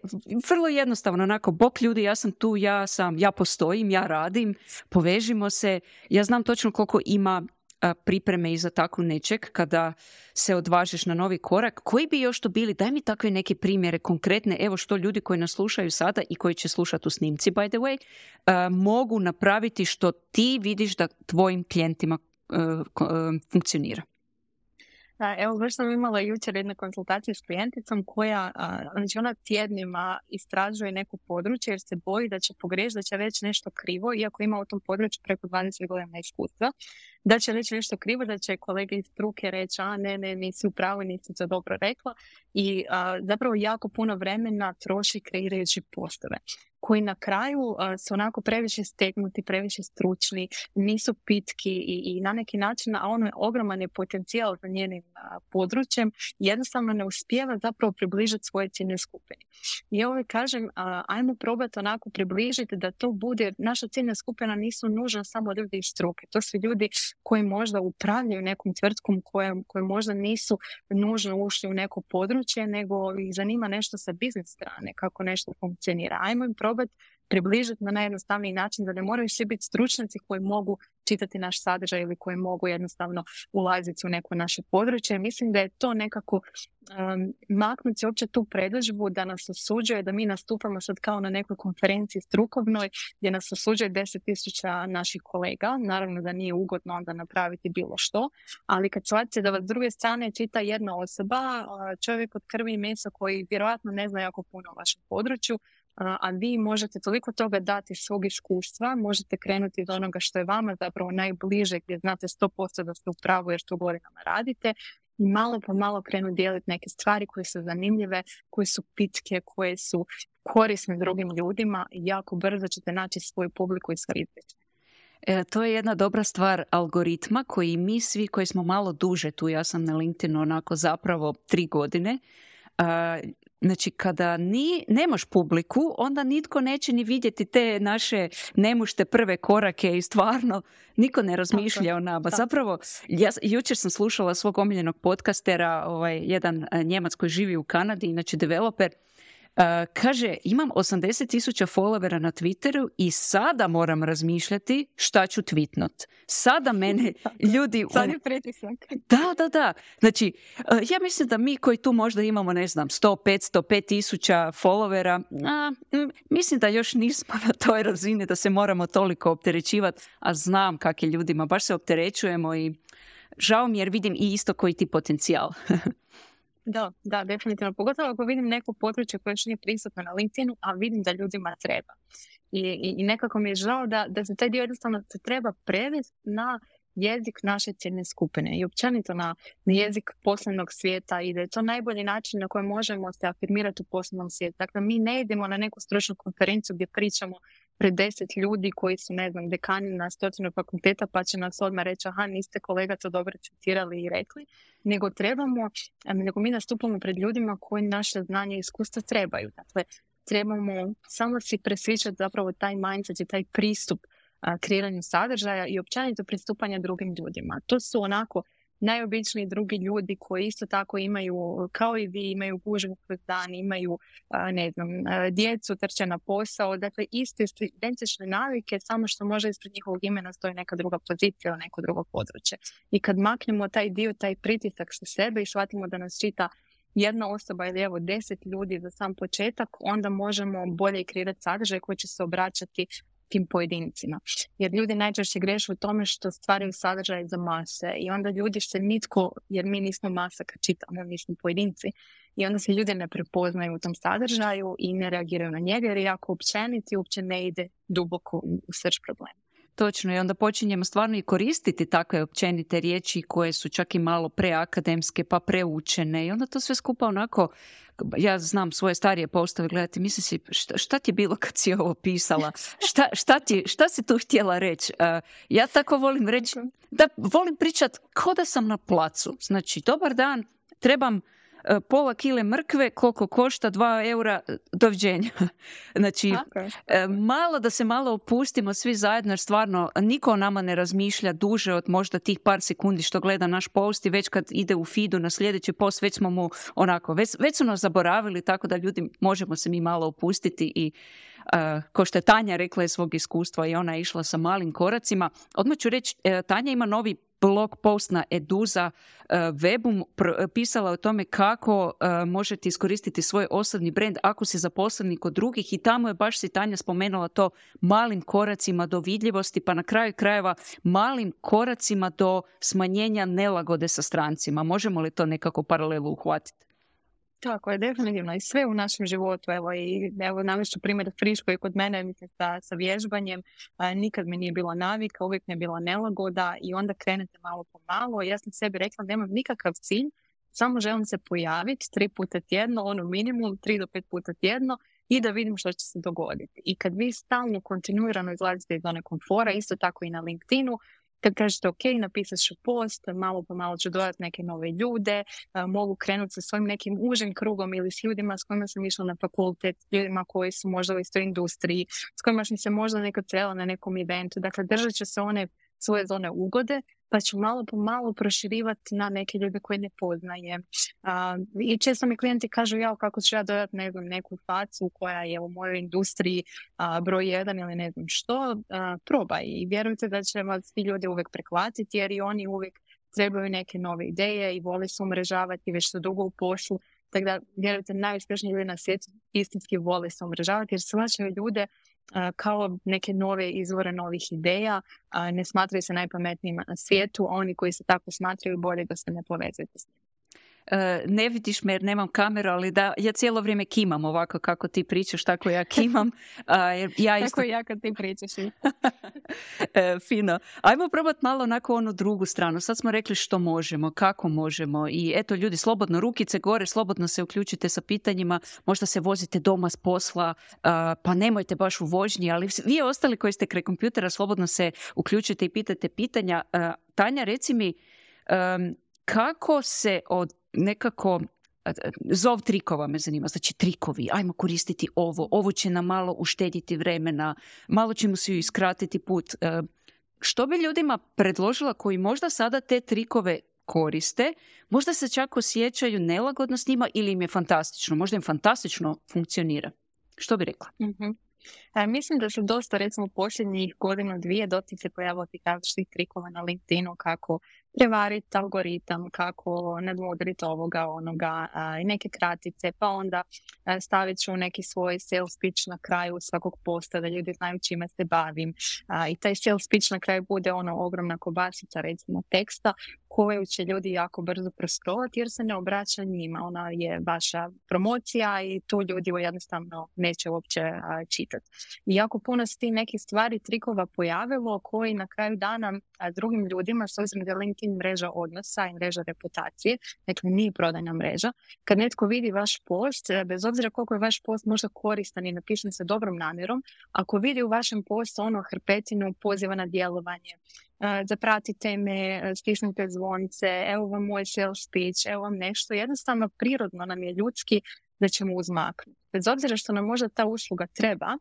vrlo jednostavno, onako, bok ljudi, ja sam tu, ja postojim, ja radim, povežimo se, ja znam točno koliko ima pripreme iza tako nečeg kada se odvažiš na novi korak? Koji bi još to bili? Daj mi takve neke primjere konkretne, evo što ljudi koji nas slušaju sada i koji će slušati u snimci, by the way, mogu napraviti što ti vidiš da tvojim klijentima funkcionira. Da, evo, baš sam imala jučer jednu konsultaciju s klijenticom koja, znači ona tjednima istražuje neko područje jer se boji da će pogriješiti, da će reći nešto krivo, iako ima u tom području preko 20 godina iskustva, da će reći nešto krivo, da će kolege iz struke reći, ne, nisi u pravu, nisi to dobro rekla i zapravo jako puno vremena troši kreirajući postove koji na kraju su onako previše stegnuti, previše stručni, nisu pitki i na neki način, a ono je ogroman je potencijal za njenim područjem, jednostavno ne uspijeva zapravo približiti svoje ciljne skupine. I ovo kažem, ajmo probati onako približiti da to bude, naša ciljna skupina nisu nužno samo ljudi iz struke, to su ljudi koji možda upravljaju nekom tvrtkom, koji možda nisu nužno ušli u neko područje, nego ih zanima nešto sa biznis strane, kako nešto funkcionira. Ajmo im probati približiti na najjednostavniji način da ne moraju svi biti stručnjaci koji mogu čitati naš sadržaj ili koji mogu jednostavno ulaziti u neko naše područje. Mislim da je to nekako maknuti se uopće tu predodžbu da nas osuđuje, da mi nastupamo sad kao na nekoj konferenciji strukovnoj gdje nas osuđuje 10.000 naših kolega. Naravno da nije ugodno onda napraviti bilo što, ali kad shvatite da vas s druge strane čita jedna osoba, čovjek od krvi i mesa koji vjerojatno ne zna jako puno o vašem području, a vi možete toliko toga dati svog iskustva, možete krenuti od onoga što je vama zapravo najbliže, gdje znate 100% da ste u pravu jer to godinama radite, i malo po malo krenu dijeliti neke stvari koje su zanimljive, koje su pitke, koje su korisne drugim ljudima i jako brzo ćete naći svoju publiku i svoje izvješće. To je jedna dobra stvar algoritma koji mi svi koji smo malo duže tu, ja sam na LinkedInu onako zapravo 3 godine, znači kada nemaš publiku, onda nitko neće ni vidjeti te naše nemušte prve korake i stvarno niko ne razmišlja o nama. Zapravo, jučer sam slušala svog omiljenog podcastera, jedan Njemac koji živi u Kanadi, inače developer, kaže, imam 80.000 followera na Twitteru i sada moram razmišljati šta ću tweetnot. Sada mene ljudi... Sad je pritisak. Da. Znači, ja mislim da mi koji tu možda imamo, 100, 500, 5.000 followera, mislim da još nismo na toj razini da se moramo toliko opterećivati, a znam kak je ljudima. Baš se opterećujemo i žao mi jer vidim i isto koji ti potencijal. Da, definitivno. Pogotovo ako vidim neko područje koje još nije prisutno na LinkedInu, a vidim da ljudima treba. I nekako mi je žao da se taj dio jednostavno se treba prevesti na jezik naše ciljne skupine i općenito na jezik poslovnog svijeta i da je to najbolji način na koji možemo se afirmirati u poslovnom svijetu. Dakle, mi ne idemo na neku stručnu konferenciju gdje pričamo pred 10 ljudi koji su, dekani na 100 fakulteta pa će nas odmah reći niste kolega to dobro citirali i rekli, nego mi nastupamo pred ljudima koji naše znanje i iskustva trebaju. Dakle, trebamo samo si presvičati zapravo taj mindset i taj pristup kreiranju sadržaja i općenito pristupanja drugim ljudima. To su onako najobičniji drugi ljudi koji isto tako imaju, kao i vi, imaju gužvu kroz dan, imaju, djecu, trče na posao, dakle iste identične navike, samo što može ispred njihovog imena stoji neka druga pozicija ili neko drugo područje. I kad maknemo taj dio, taj pritisak sa sebe i shvatimo da nas čita jedna osoba ili 10 ljudi za sam početak, onda možemo bolje kreirati sadržaj koji će se obraćati tim pojedincima. Jer ljudi najčešće greše u tome što stvaraju sadržaj za mase i onda ljudi se nitko, jer mi nismo masa kad čitamo, mi smo pojedinci, i onda se ljudi ne prepoznaju u tom sadržaju i ne reagiraju na njega jer je jako općenit i uopće ne ide duboko u srž problema. Točno, i onda počinjemo stvarno i koristiti takve općenite riječi koje su čak i malo preakademske pa preučene i onda to sve skupa onako, ja znam svoje starije postave gledati, mislim si šta ti je bilo kad si ovo pisala, šta si tu htjela reći. Ja tako volim reći, da volim pričati kao da sam na placu, znači dobar dan, trebam pola kile mrkve, koliko košta, 2 eura, doviđenja. Znači, malo da se malo opustimo svi zajedno, jer stvarno niko o nama ne razmišlja duže od možda tih par sekundi što gleda naš post i već kad ide u feedu na sljedeći post, već smo mu onako, već su nas zaboravili, tako da ljudi možemo se mi malo opustiti i ko što je Tanja rekla iz svog iskustva i ona je išla sa malim koracima. Odmah ću reći, Tanja ima novi blog post na Eduza webu pisala o tome kako možete iskoristiti svoj osobni brand ako si zaposleni kod drugih i tamo je baš si Tanja spomenula to malim koracima do vidljivosti, pa na kraju krajeva malim koracima do smanjenja nelagode sa strancima. Možemo li to nekako paralelu uhvatiti? Tako je, definitivno. I sve u našem životu. Evo navešću primjer friško i kod mene mislim, sa vježbanjem. Nikad mi nije bila navika, uvijek mi je bila nelagoda i onda krenete malo po malo. Ja sam sebi rekla nemam nikakav cilj, samo želim se pojaviti 3 puta tjedno, minimum 3 do 5 puta tjedno i da vidim što će se dogoditi. I kad vi stalno kontinuirano izlazite iz zone komfora, isto tako i na LinkedInu, kad kažete ok, napisat ću post, malo po malo ću dodati neke nove ljude, mogu krenuti sa svojim nekim užim krugom ili s ljudima s kojima sam išla na fakultet, ljudima koji su možda u istoj industriji, s kojima sam se možda nekad srela na nekom eventu. Dakle, držat ću se one svoje zone ugode, pa ću malo po malo proširivati na neke ljude koje ne poznajem. I često mi klijenti kažu kako ću ja dodati neku facu koja je u mojoj industriji broj 1 ili ne znam što, probaj i vjerujte da će vas svi ljudi uvijek prehvatiti jer i oni uvijek trebaju neke nove ideje i vole se umrežavati već su dugo u poslu. Tako da vjerujte, najuspješniji ljudi na svijetu istinski vole se umrežavati jer shvaćaju ljude kao neke nove izvore novih ideja, ne smatraju se najpametnijima na svijetu, a oni koji se tako smatraju bolje da se ne povezujete s njim. Ne vidiš me jer nemam kameru, ali da, ja cijelo vrijeme kimam ovako kako ti pričaš, tako ja kimam. Tako i ja kad ti pričaš. Fino. Ajmo probati malo onako onu drugu stranu. Sad smo rekli što možemo, kako možemo i eto ljudi, slobodno rukice gore, slobodno se uključite sa pitanjima, možda se vozite doma s posla, pa nemojte baš u vožnji, ali vi ostali koji ste kraj kompjutera, slobodno se uključite i pitajte pitanja. Tanja, reci mi, kako se od nekako zov trikova me zanima, znači trikovi, ajmo koristiti ovo će nam malo uštediti vremena, malo ćemo si iskratiti put. Što bi ljudima predložila koji možda sada te trikove koriste, možda se čak osjećaju nelagodno s njima ili im je fantastično, možda im fantastično funkcionira? Što bi rekla? Mm-hmm. Mislim da se dosta, recimo, posljednjih 1-2 dotik se pojavilo tih različitih trikova na LinkedInu kako prevariti algoritam, kako nadmudriti ovoga, onoga, i neke kratice, pa onda stavit ću neki svoj sales pitch na kraju svakog posta da ljudi znaju čime se bavim. I taj sales pitch na kraju bude ogromna kobasica, recimo, teksta koju će ljudi jako brzo proscrolati jer se ne obraća njima. Ona je vaša promocija i tu ljudi jednostavno neće uopće čitati. I jako puno se ti nekih stvari, trikova pojavilo koji na kraju dana drugim ljudima, s obzirom da je LinkedIn mreža odnosa i mreža reputacije, dakle nije prodajna mreža. Kad netko vidi vaš post, bez obzira koliko je vaš post možda koristan i napišen sa dobrom namjerom, ako vidi u vašem postu hrpetinu poziva na djelovanje, zapratite me, stisnite zvonce, evo vam moj sales pitch, evo vam nešto, jednostavno prirodno nam je ljudski da ćemo uzmaknuti. Bez obzira što nam možda ta usluga treba,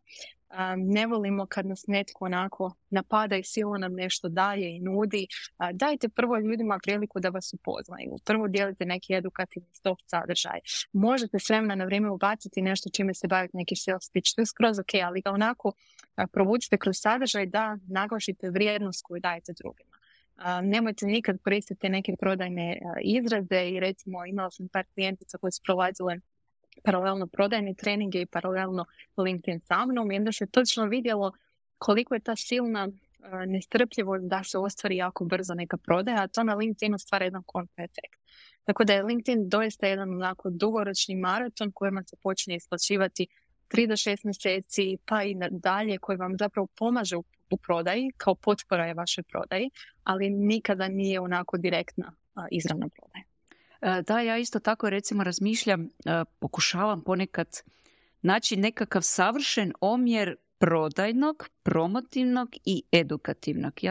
ne volimo kad nas netko onako napada i silno nam nešto daje i nudi. Dajte prvo ljudima priliku da vas upoznaju. Prvo dijelite neki edukativni soft sadržaj. Možete s vremena na vrijeme ubaciti nešto čime se bavite, neki sales pitch. To je skroz ok, ali ga onako provučite kroz sadržaj da naglašite vrijednost koju dajete drugima. Nemojte nikad koristiti neke prodajne izraze i recimo imala sam par klijentica koje su prolazile paralelno prodajne treninge i paralelno LinkedIn sa mnom i onda se točno vidjelo koliko je ta silna nestrpljivost da se ostvari jako brzo neka prodaja, a to na LinkedInu stvara jedan kontra efekt. Tako da je LinkedIn doista jedan onako dugoročni maraton kojima se počne isplaćivati 3 do 6 mjeseci pa i dalje, koji vam zapravo pomaže u prodaji, kao potpora je vašoj prodaji, ali nikada nije onako direktna izravna prodaja. Da, ja isto tako recimo razmišljam, pokušavam ponekad naći nekakav savršen omjer prodajnog, promotivnog i edukativnog.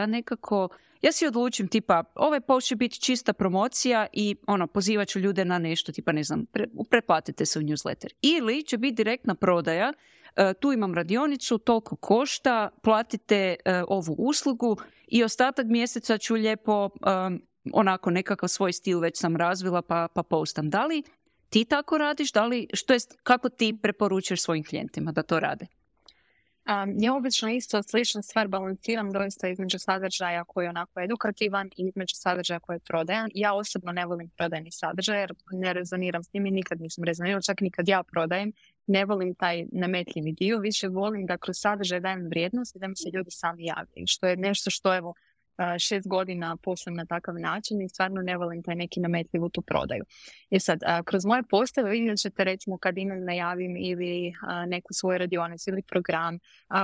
Ja si odlučim tipa, ovaj post će biti čista promocija i pozivat ću ljude na nešto, tipa ne znam, pretplatite se u newsletter. Ili će biti direktna prodaja, tu imam radionicu, toliko košta, platite ovu uslugu i ostatak mjeseca ću lijepo onako nekakav svoj stil već sam razvila pa postam. Da li ti tako radiš? Kako ti preporučuješ svojim klijentima da to rade? Ja obično isto sličnu stvar balansiram doista između sadržaja koji je onako edukativan i između sadržaja koji je prodajan. Ja osobno ne volim prodajni sadržaj jer ne rezoniram s njim i nikad nisam rezonirala, čak ni kad ja prodajem. Ne volim taj nametljivi dio, više volim da kroz sadržaj dajem vrijednost i da mi se ljudi sami javljaju, što je nešto što evo 6 godina poslujem na takav način i stvarno ne volim taj neki nametljivu tu prodaju. I sad, kroz moje postave vidjet ćete recimo kad imam najavim ili neku svoju radionicu ili program,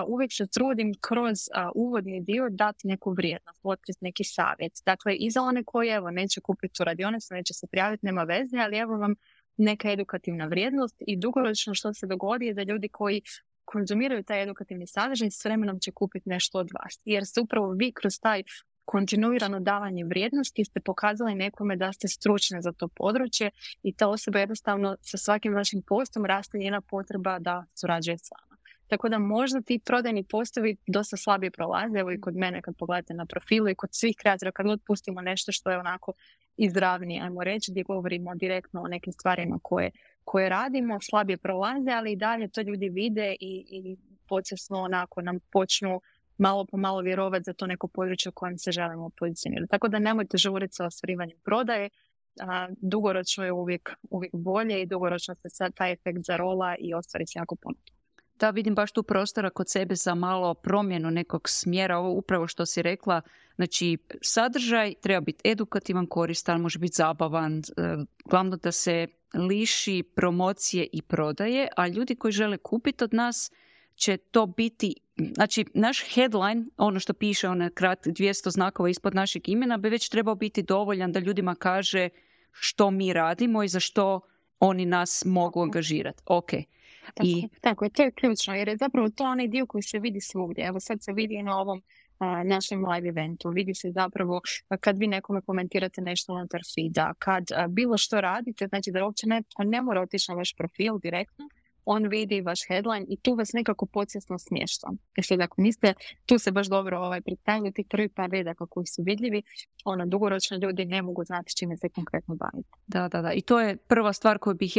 uvijek se trudim kroz uvodni dio dati neku vrijednost, otkriti neki savjet. Dakle, i za one koji evo neće kupiti tu radionicu, neće se prijaviti, nema veze, ali evo vam neka edukativna vrijednost i dugoročno što se dogodi je da ljudi koji konzumiraju taj edukativni sadržaj s vremenom će kupiti nešto od vas. Jer ste upravo vi kroz taj kontinuirano davanje vrijednosti ste pokazali nekome da ste stručni za to područje i ta osoba jednostavno sa svakim vašim postom raste njena potreba da surađuje s vama. Tako da možda ti prodajni postovi dosta slabije prolaze, evo i kod mene kad pogledate na profilu i kod svih kreatora kad god pustimo nešto što je onako izravnije, ajmo reći, gdje govorimo direktno o nekim stvarima koje radimo, slabije prolaze, ali i dalje to ljudi vide i počasno onako nam počnu malo po malo vjerovati za to neko područje u kojem se želimo pozicionirati. Tako da nemojte žuriti sa ostvarivanjem prodaje, dugoročno je uvijek bolje i dugoročno se sad taj efekt zarola i ostvari se jako puno. Da, vidim baš tu prostora kod sebe za malo promjenu nekog smjera, ovo upravo što si rekla, znači sadržaj treba biti edukativan, koristan, može biti zabavan, glavno da se liši promocije i prodaje, a ljudi koji žele kupiti od nas će to biti, znači naš headline, ono što piše, ono 200 znakova ispod našeg imena, bi već trebao biti dovoljan da ljudima kaže što mi radimo i za što oni nas mogu angažirati. Ok. Tako je, to je ključno, jer je zapravo to onaj dio koji se vidi svugdje. Evo sad se vidi na ovom našem live eventu, vidi se zapravo kad vi nekome komentirate nešto unutar feeda, kad bilo što radite, znači da uopće ne mora otići na vaš profil direktno, on vidi vaš headline i tu vas nekako podsvjesno smješta. Jer ako niste, tu se baš dobro predstavljaju tih prvi par redaka koji su vidljivi, dugoročno ljudi ne mogu znati s čime se konkretno baviti. Da. I to je prva stvar koju bih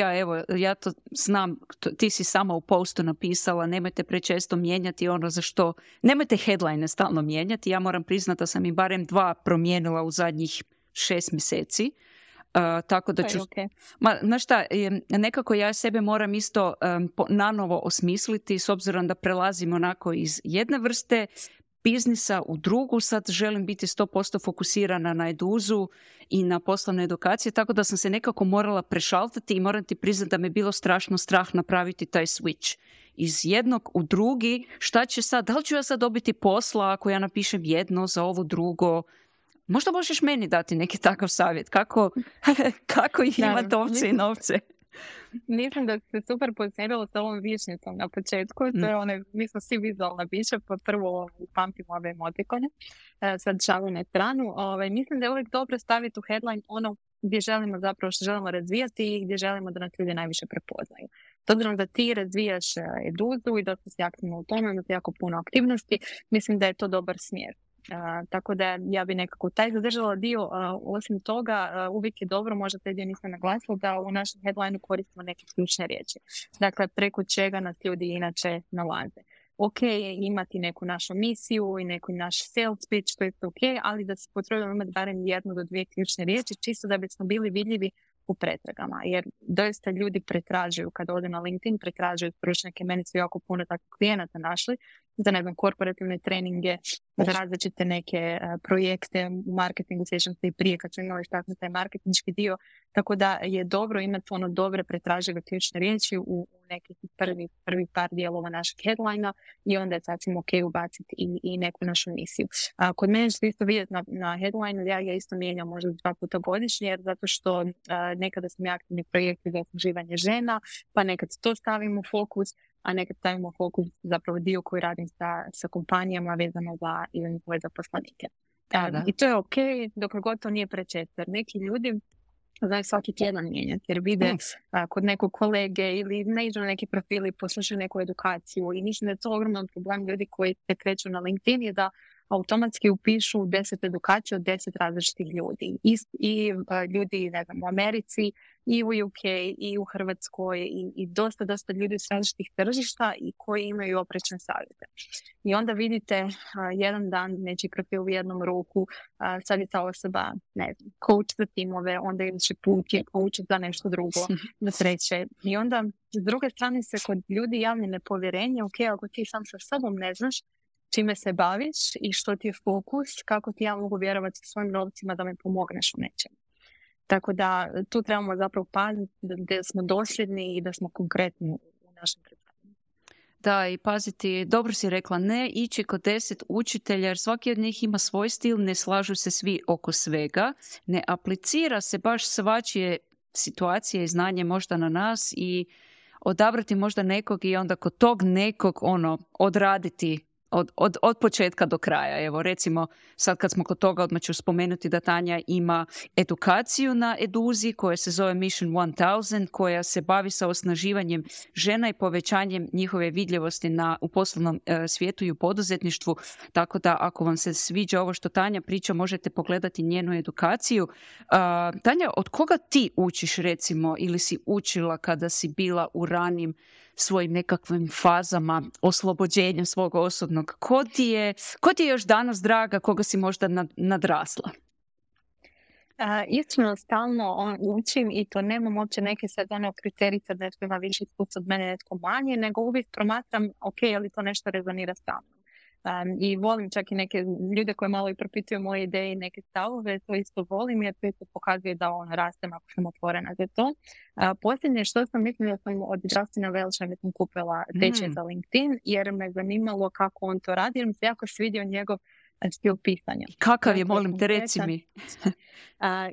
ja to znam, ti si sama u postu napisala, nemojte prečesto mijenjati ono za što, nemojte headline stalno mijenjati, ja moram priznati da sam i barem 2 promijenila u zadnjih 6 mjeseci. Tako da ću, znaš šta, nekako ja sebe moram isto nanovo osmisliti s obzirom da prelazim onako iz jedne vrste biznisa u drugu, sad želim biti 100% fokusirana na eduzu i na poslovne edukacije, tako da sam se nekako morala prešaltati i moram ti priznati da me bilo strašno strah napraviti taj switch iz jednog u drugi. Šta će sad, da li ću ja sad dobiti posla ako ja napišem jedno za ovo drugo? Možda možeš meni dati neki takav savjet, kako imati ovce i novce? Mislim da se super pozicionirala s ovom višnjicom na početku, to je mi smo svi vizualna bića, pa prvo pamtimo ove emotikone, sad šalu na stranu. Mislim da je uvijek dobro staviti u headline ono gdje želimo zapravo što želimo razvijati i gdje želimo da nas ljudi najviše prepoznaju. S obzirom da ti razvijaš eduzu i da si aktivno u tome, imate jako puno aktivnosti, mislim da je to dobar smjer. Tako da ja bi nekako taj zadržala dio. Osim toga, uvijek je dobro, možda taj dio nisam naglasila, da u našem headlineu koristimo neke ključne riječi. Dakle, preko čega nas ljudi inače nalaze. Ok je imati neku našu misiju i neku naš sales pitch, to je ok, ali da se potrudimo imati barem 1 do 2 ključne riječi, čisto da bismo bili vidljivi u pretragama, jer doista ljudi pretražuju, kad ode na LinkedIn, pretražuju stručnjake, meni su jako puno takvih klijenata našli, za korporativne treninge, za različite neke projekte u marketingu, sjećam se i prije kad su imali tako taj marketinški dio, tako da je dobro imati dobre pretražive ključne riječi u nekih prvi par dijelova našeg headlina i onda je sasvim ok ubaciti i neku našu misiju. Kod mene ćete isto vidjeti na headline, ja isto mijenjam možda 2 puta godišnje, jer zato što nekada sam aktivni projekti za osnaživanje žena, pa nekad to stavimo u fokus, a nekad stavimo fokus zapravo dio koji radim sa kompanijama vezano za ili njihove zaposlenike. I to je ok, dok god to nije prečesto. Neki ljudi znaju svaki tjedan mijenjati, jer vide kod nekog kolege ili ne iđu na neki profil i poslušaju neku edukaciju i mislim da je to ogroman problem ljudi koji se kreću na LinkedIn je da automatski upišu 10 edukacija od 10 različitih ljudi. I ljudi, ne znam, u Americi, i u UK, i u Hrvatskoj, i dosta ljudi s različitih tržišta i koji imaju oprečne savjete. I onda vidite jedan dan nečiji profil u jednom ruku, sad je ta osoba, ne znam, coach za timove, onda idući put je coach za nešto drugo, za treće. I onda s druge strane se kod ljudi javlja nepovjerenje, ok, ako ti sam sa sobom ne znaš čime se baviš i što ti je fokus, kako ti ja mogu vjerovati svojim novcima da mi pomogneš u nečemu. Tako da tu trebamo zapravo paziti da smo dosljedni i da smo konkretni u našem predstavljanju. Da, i paziti, dobro si rekla, ne ići kod 10 učitelja, jer svaki od njih ima svoj stil, ne slažu se svi oko svega, ne aplicira se baš svačije situacije i znanje možda na nas i odabrati možda nekog i onda kod tog nekog odraditi od početka do kraja. Evo, recimo, sad kad smo kod toga, odmah ću spomenuti da Tanja ima edukaciju na Eduzi koja se zove Mission 1000, koja se bavi sa osnaživanjem žena i povećanjem njihove vidljivosti u poslovnom svijetu i u poduzetništvu. Tako da, ako vam se sviđa ovo što Tanja priča, možete pogledati njenu edukaciju. Tanja, od koga ti učiš, recimo, ili si učila kada si bila u ranim svojim nekakvim fazama oslobođenja svog osobnog? Ko ti je još danas draga, koga si možda nadrasla? Iskreno stalno učim i to nemam uopće neke sad kriterije da netko ima više iskustva od mene, netko manje, nego uvijek promatram, ok, ali to nešto rezonira sa mnom. I volim čak i neke ljude koji malo i propituju moje ideje i neke stavove, to isto volim jer to isto pokazuje da rastem ako sam otvorena za to. Posljednje što sam mislila sam od Justina Welcha mi sam kupila tečaj za LinkedIn jer me zanimalo kako on to radi jer mi se jako svidio njegov stil pisanja. Kakav je, molim te, reci mi.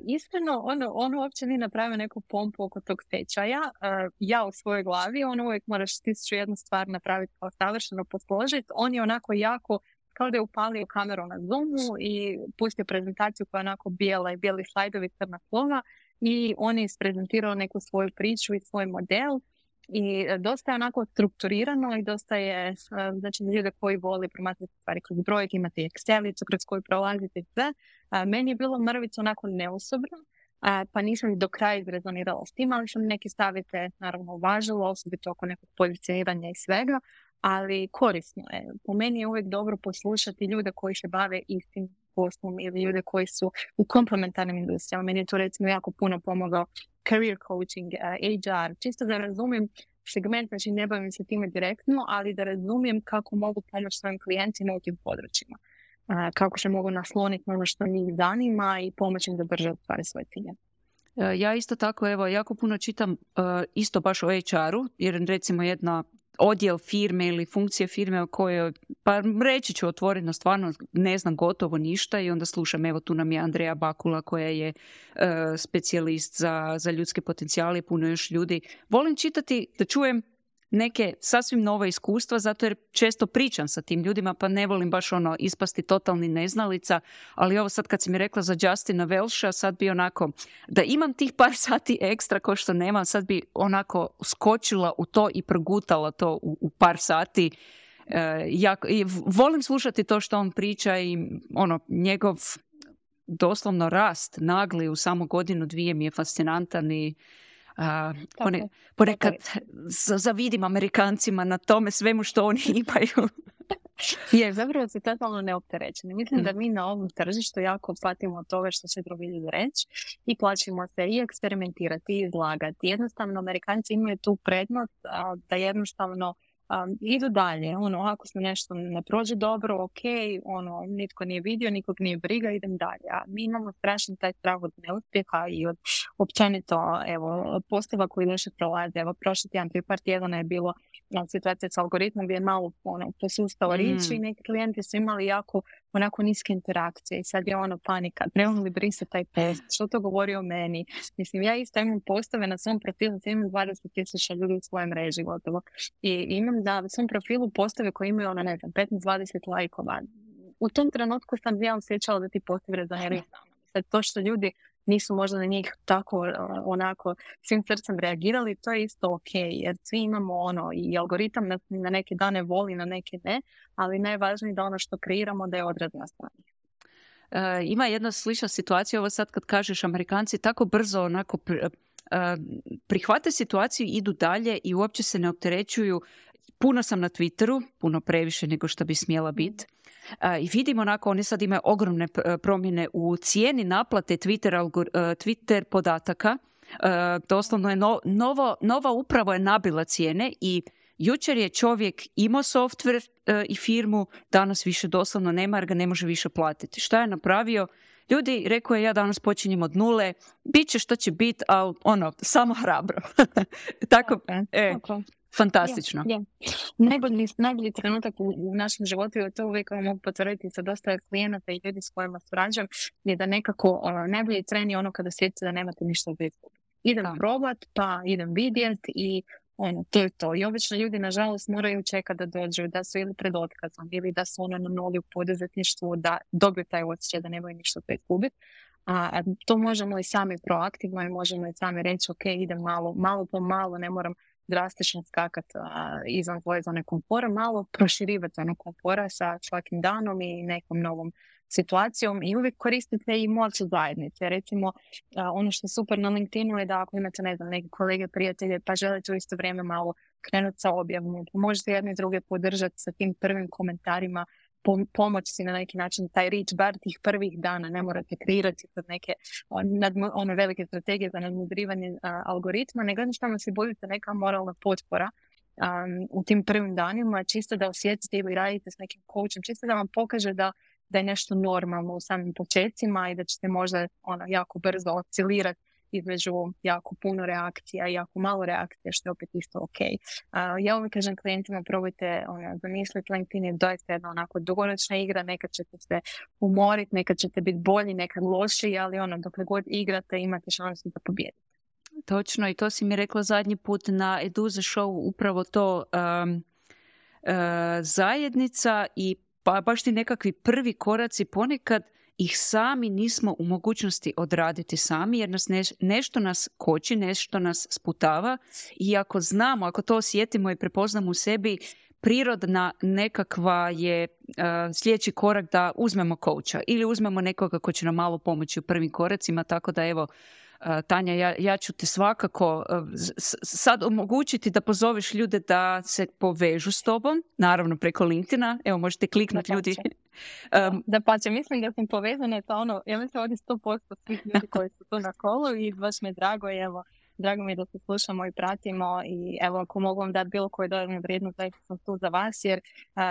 Iskreno, on uopće nije napravio neku pompu oko tog tečaja. Ja u svojoj glavi, uvijek moraš 1001 stvar napraviti kao savršeno posložiti. On je onako jako, kao da je upalio kameru na Zoomu i pustio prezentaciju koja je onako bijela i bijeli slajdovi, crna slova i on je isprezentirao neku svoju priču i svoj model. I dosta je onako strukturirano i dosta je, znači, ljude koji voli promatrati stvari kroz brojke, imate Excelicu kroz koju prolazite sve. Meni je bilo mrvicu onako neosobno, pa nisam do kraja izrezonirala s tim, ali sam neke savjete naravno uvažila, osobito oko nekog pozicioniranja i svega, ali korisno je. Po meni je uvijek dobro poslušati ljude koji se bave istim poslom ili ljude koji su u komplementarnim industrijama. Meni je to recimo jako puno pomogao career coaching, HR, čisto da razumijem segment, znači ne bavim se time direktno, ali da razumijem kako mogu pomoći svojim klijentima u tim područjima. Kako se mogu nasloniti na ono što njih zanima i pomoći im da brže ostvari svoje cilje. Ja isto tako, evo, jako puno čitam isto baš o HR-u, jer recimo jedna odjel firme ili funkcije firme o kojoj, pa reći ću otvoreno, stvarno ne znam gotovo ništa i onda slušam, evo tu nam je Andreja Bakula koja je specijalist za ljudske potencijale i puno još ljudi. Volim čitati da čujem neke sasvim nova iskustva, zato jer često pričam sa tim ljudima, pa ne volim baš ispasti totalni neznalica, ali ovo sad kad si mi rekla za Justina Welcha, sad bi onako, da imam tih par sati ekstra ko što nemam, sad bi onako skočila u to i progutala to u par sati. I volim slušati to što on priča i njegov doslovno rast nagli u samo godinu, dvije mi je fascinantan i ponekad zavidim Amerikancima na tome svemu što oni imaju. Je, zapravo se totalno neopterećeni. Mislim da mi na ovom tržištu jako platimo od toga što će drugi ljudi reći i plaćimo se i eksperimentirati i izlagati. Jednostavno, Amerikanci imaju tu prednost da jednostavno idu dalje. Ako se nešto ne prođe dobro, ok, nitko nije vidio, nikog nije briga, idem dalje. A mi imamo strašan taj strah od neuspjeha i od općenito, postava koji loše prolaze. Prošli tjedan, prije par tjedana je bilo situacija s algoritmom gdje je malo posustao riječ i neki klijenti su imali jako onako niske interakcije i sad je panika. Trebamo li brisati taj post? Što to govori o meni? Mislim, ja isto imam postave na svom profilu, imam 20,000 ljudi u svojoj mreži gotovo. I imam na svom profilu postave koje imaju 15-20 lajkova. U tom trenutku sam ja osjećala da ti postovi rezoniraju. Sad to što ljudi nisu možda na njih tako onako svim srcem reagirali, to je isto ok, jer svi imamo i algoritam na neke dane voli, na neke ne, ali najvažnije da ono što kreiramo da je odraz na strani. Ima jedna slična situacija, ovo sad kad kažeš Amerikanci tako brzo onako prihvate situaciju, idu dalje i uopće se ne opterećuju. Puno sam na Twitteru, puno previše nego što bi smjela biti. I vidimo onako, oni sad imaju ogromne promjene u cijeni naplate Twitter podataka. Doslovno je nova uprava je nabila cijene i jučer je čovjek imao software i firmu, danas više doslovno nema jer ga ne može više platiti. Šta je napravio? Ljudi, rekao je, ja danas počinjem od nule, bit će što će biti, ali samo hrabro. Tako, fantastično. Najbolji trenutak u našem životu, i to uvijek mogu potvrditi sa dosta klijenata i ljudi s kojima surađujem, je da nekako najbolji tren je kada sjetite da nemate ništa za izgubiti. Idem probat, pa idem vidjet i to je to. I obično ljudi, nažalost, moraju čekati da dođu, da su ili pred otkazom, ili da su na nuli u poduzetništvu, da dobiju taj osjećaj da nemaju ništa za izgubiti. A to možemo i sami proaktivno i možemo i sami reći, ok, idem malo po malo, ne moram drastično skakati izvan svoje zone komfora, malo proširivati zonu komfora sa svakim danom i nekom novom situacijom i uvijek koristite i moć zajednice. Recimo, ono što je super na LinkedInu je da ako imate, neke kolege, prijatelje, pa želite u isto vrijeme malo krenuti sa objavom, možete jedni druge podržati sa tim prvim komentarima, pomoći si na neki način taj reach bar tih prvih dana, ne morate kreirati kod neke velike strategije za nadmudrivanje algoritma, nego jednostavno si budete neka moralna potpora u tim prvim danima, čisto da osjetite ili radite s nekim coachom, čisto da vam pokaže da je nešto normalno u samim početcima i da ćete možda jako brzo oscilirati između jako puno reakcija i jako malo reakcija, što je opet isto ok. Ja uvijek kažem klijentima, probajte zamisliti, LinkedIn je doista jedna onako dugoročna igra, nekad ćete se umoriti, nekad ćete biti bolji, nekad lošiji, ali dokle god igrate imate šansu da pobijedite. Točno, i to si mi rekla zadnji put na Eduza Show, upravo to zajednica i pa baš ti nekakvi prvi koraci, ponekad ih sami nismo u mogućnosti odraditi sami jer nas nešto nas koči, nešto nas sputava i ako znamo, ako to osjetimo i prepoznamo u sebi, prirodna nekakva je sljedeći korak da uzmemo coacha ili uzmemo nekoga ko će nam malo pomoći u prvim koracima, tako da evo Tanja, ja ću te svakako sad omogućiti da pozoveš ljude da se povežu s tobom, naravno preko LinkedIna, evo možete kliknuti ljudi. Da pače, mislim da sam povezana, ja mislim ovdje 100% svih ljudi koji su tu na kolu i baš mi je drago i evo, drago mi je da se slušamo i pratimo i evo ako mogu vam dati bilo koju dodatnu vrijednost, da sam tu za vas jer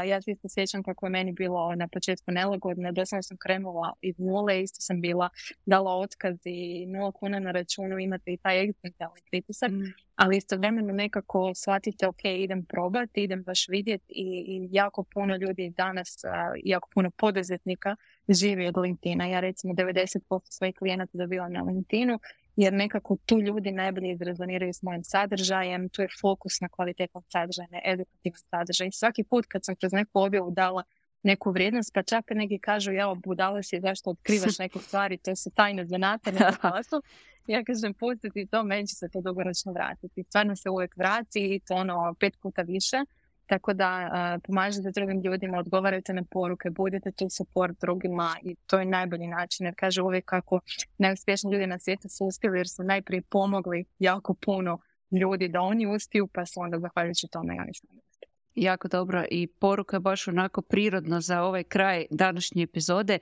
ja se isto sjećam kako je meni bilo na početku nelagodno, doslovno sam krenula iz nule, isto sam bila dala otkaz i 0 kuna na računu, imate i taj egzistencijalni pritisak, ali istovremeno nekako shvatite, ok, idem probati, idem baš vidjeti i jako puno ljudi danas, jako puno poduzetnika živi od LinkedIna. Ja recimo 90% svojih klijenata dobivam na LinkedInu, jer nekako tu ljudi najbolje izrezoniraju s mojim sadržajem, tu je fokus na kvalitetnom sadržaju, na edukativnom sadržaju. I svaki put kad sam kroz neku objavu dala neku vrijednost, pa čak neki kažu, jao, budala si, zašto otkrivaš neke stvari, to su tajne zanate, ne posao. Ja kažem, pustiti to, meni će se to dugoročno vratiti. Stvarno se uvijek vrati i to 5 puta više. Tako da pomažete drugim ljudima, odgovarajte na poruke, budete tu support drugima i to je najbolji način. Jer kaže uvijek kako najuspješniji ljudi na svijetu su uspjeli jer su najprije pomogli jako puno ljudi da oni uspiju, pa su onda zahvaljujući tome i oni što ne uspiju. Jako dobro i poruka je baš onako prirodno za ovaj kraj današnje epizode.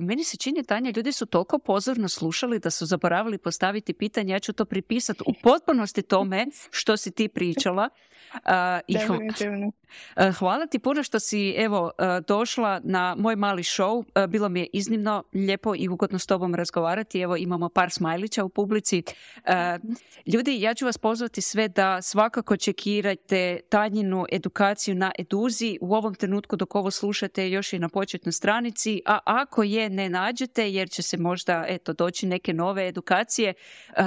Meni se čini, Tanja, ljudi su toliko pozorno slušali da su zaboravili postaviti pitanje. Ja ću to pripisati u potpunosti tome što si ti pričala. Hvala ti puno što si došla na moj mali show. Bilo mi je iznimno lijepo i ugodno s tobom razgovarati. Evo imamo par smajlića u publici. Ljudi, ja ću vas pozvati sve da svakako čekirajte Tanjinu edukaciju na Eduzi. U ovom trenutku dok ovo slušate još i na početnoj stranici, a ako je ne nađete jer će se možda doći neke nove edukacije,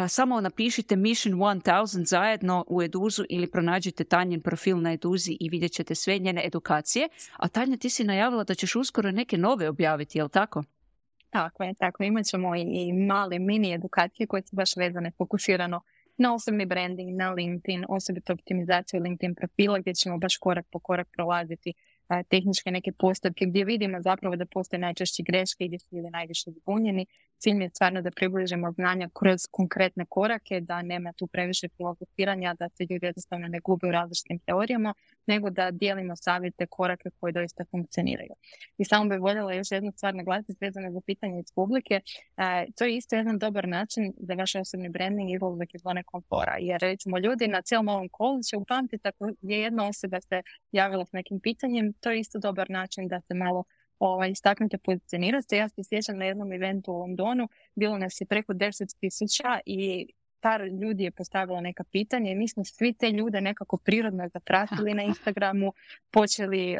samo napišite Mission 1000 zajedno u Eduzu ili pronađite Tanjin profil na Eduzi i vidjet ćete sve njene edukacije. A Tanja, ti si najavila da ćeš uskoro neke nove objaviti, je li tako? Tako. Imat ćemo i male mini edukacije koje su baš vezane, fokusirano na osobni branding, na LinkedIn, osobito optimizaciju LinkedIn profila gdje ćemo baš korak po korak prolaziti tehničke neke postupke gdje vidimo zapravo da postoje najčešće greške i gdje su ljudi najviše zbunjeni. Cilj mi je stvarno da približimo znanja kroz konkretne korake, da nema tu previše filozofiranja, da se ljudi jednostavno ne gube u različitim teorijama, nego da dijelimo savjete, korake koji doista funkcioniraju. I samo bih voljela još jednu stvar naglasiti vezano za pitanje iz publike. To je isto jedan dobar način za vaš osobni branding izlazak iz zone komfora. Jer recimo ljudi na cijelom ovom kolu će upamtiti ako je jedna osoba se javila s nekim pitanjem, to je isto dobar način da se malo istaknute, pozicionirate. Ja se sjećam na jednom eventu u Londonu, bilo nas je preko 10,000 i par ljudi je postavila neka pitanja i mi smo svi te ljude nekako prirodno zapratili na Instagramu, počeli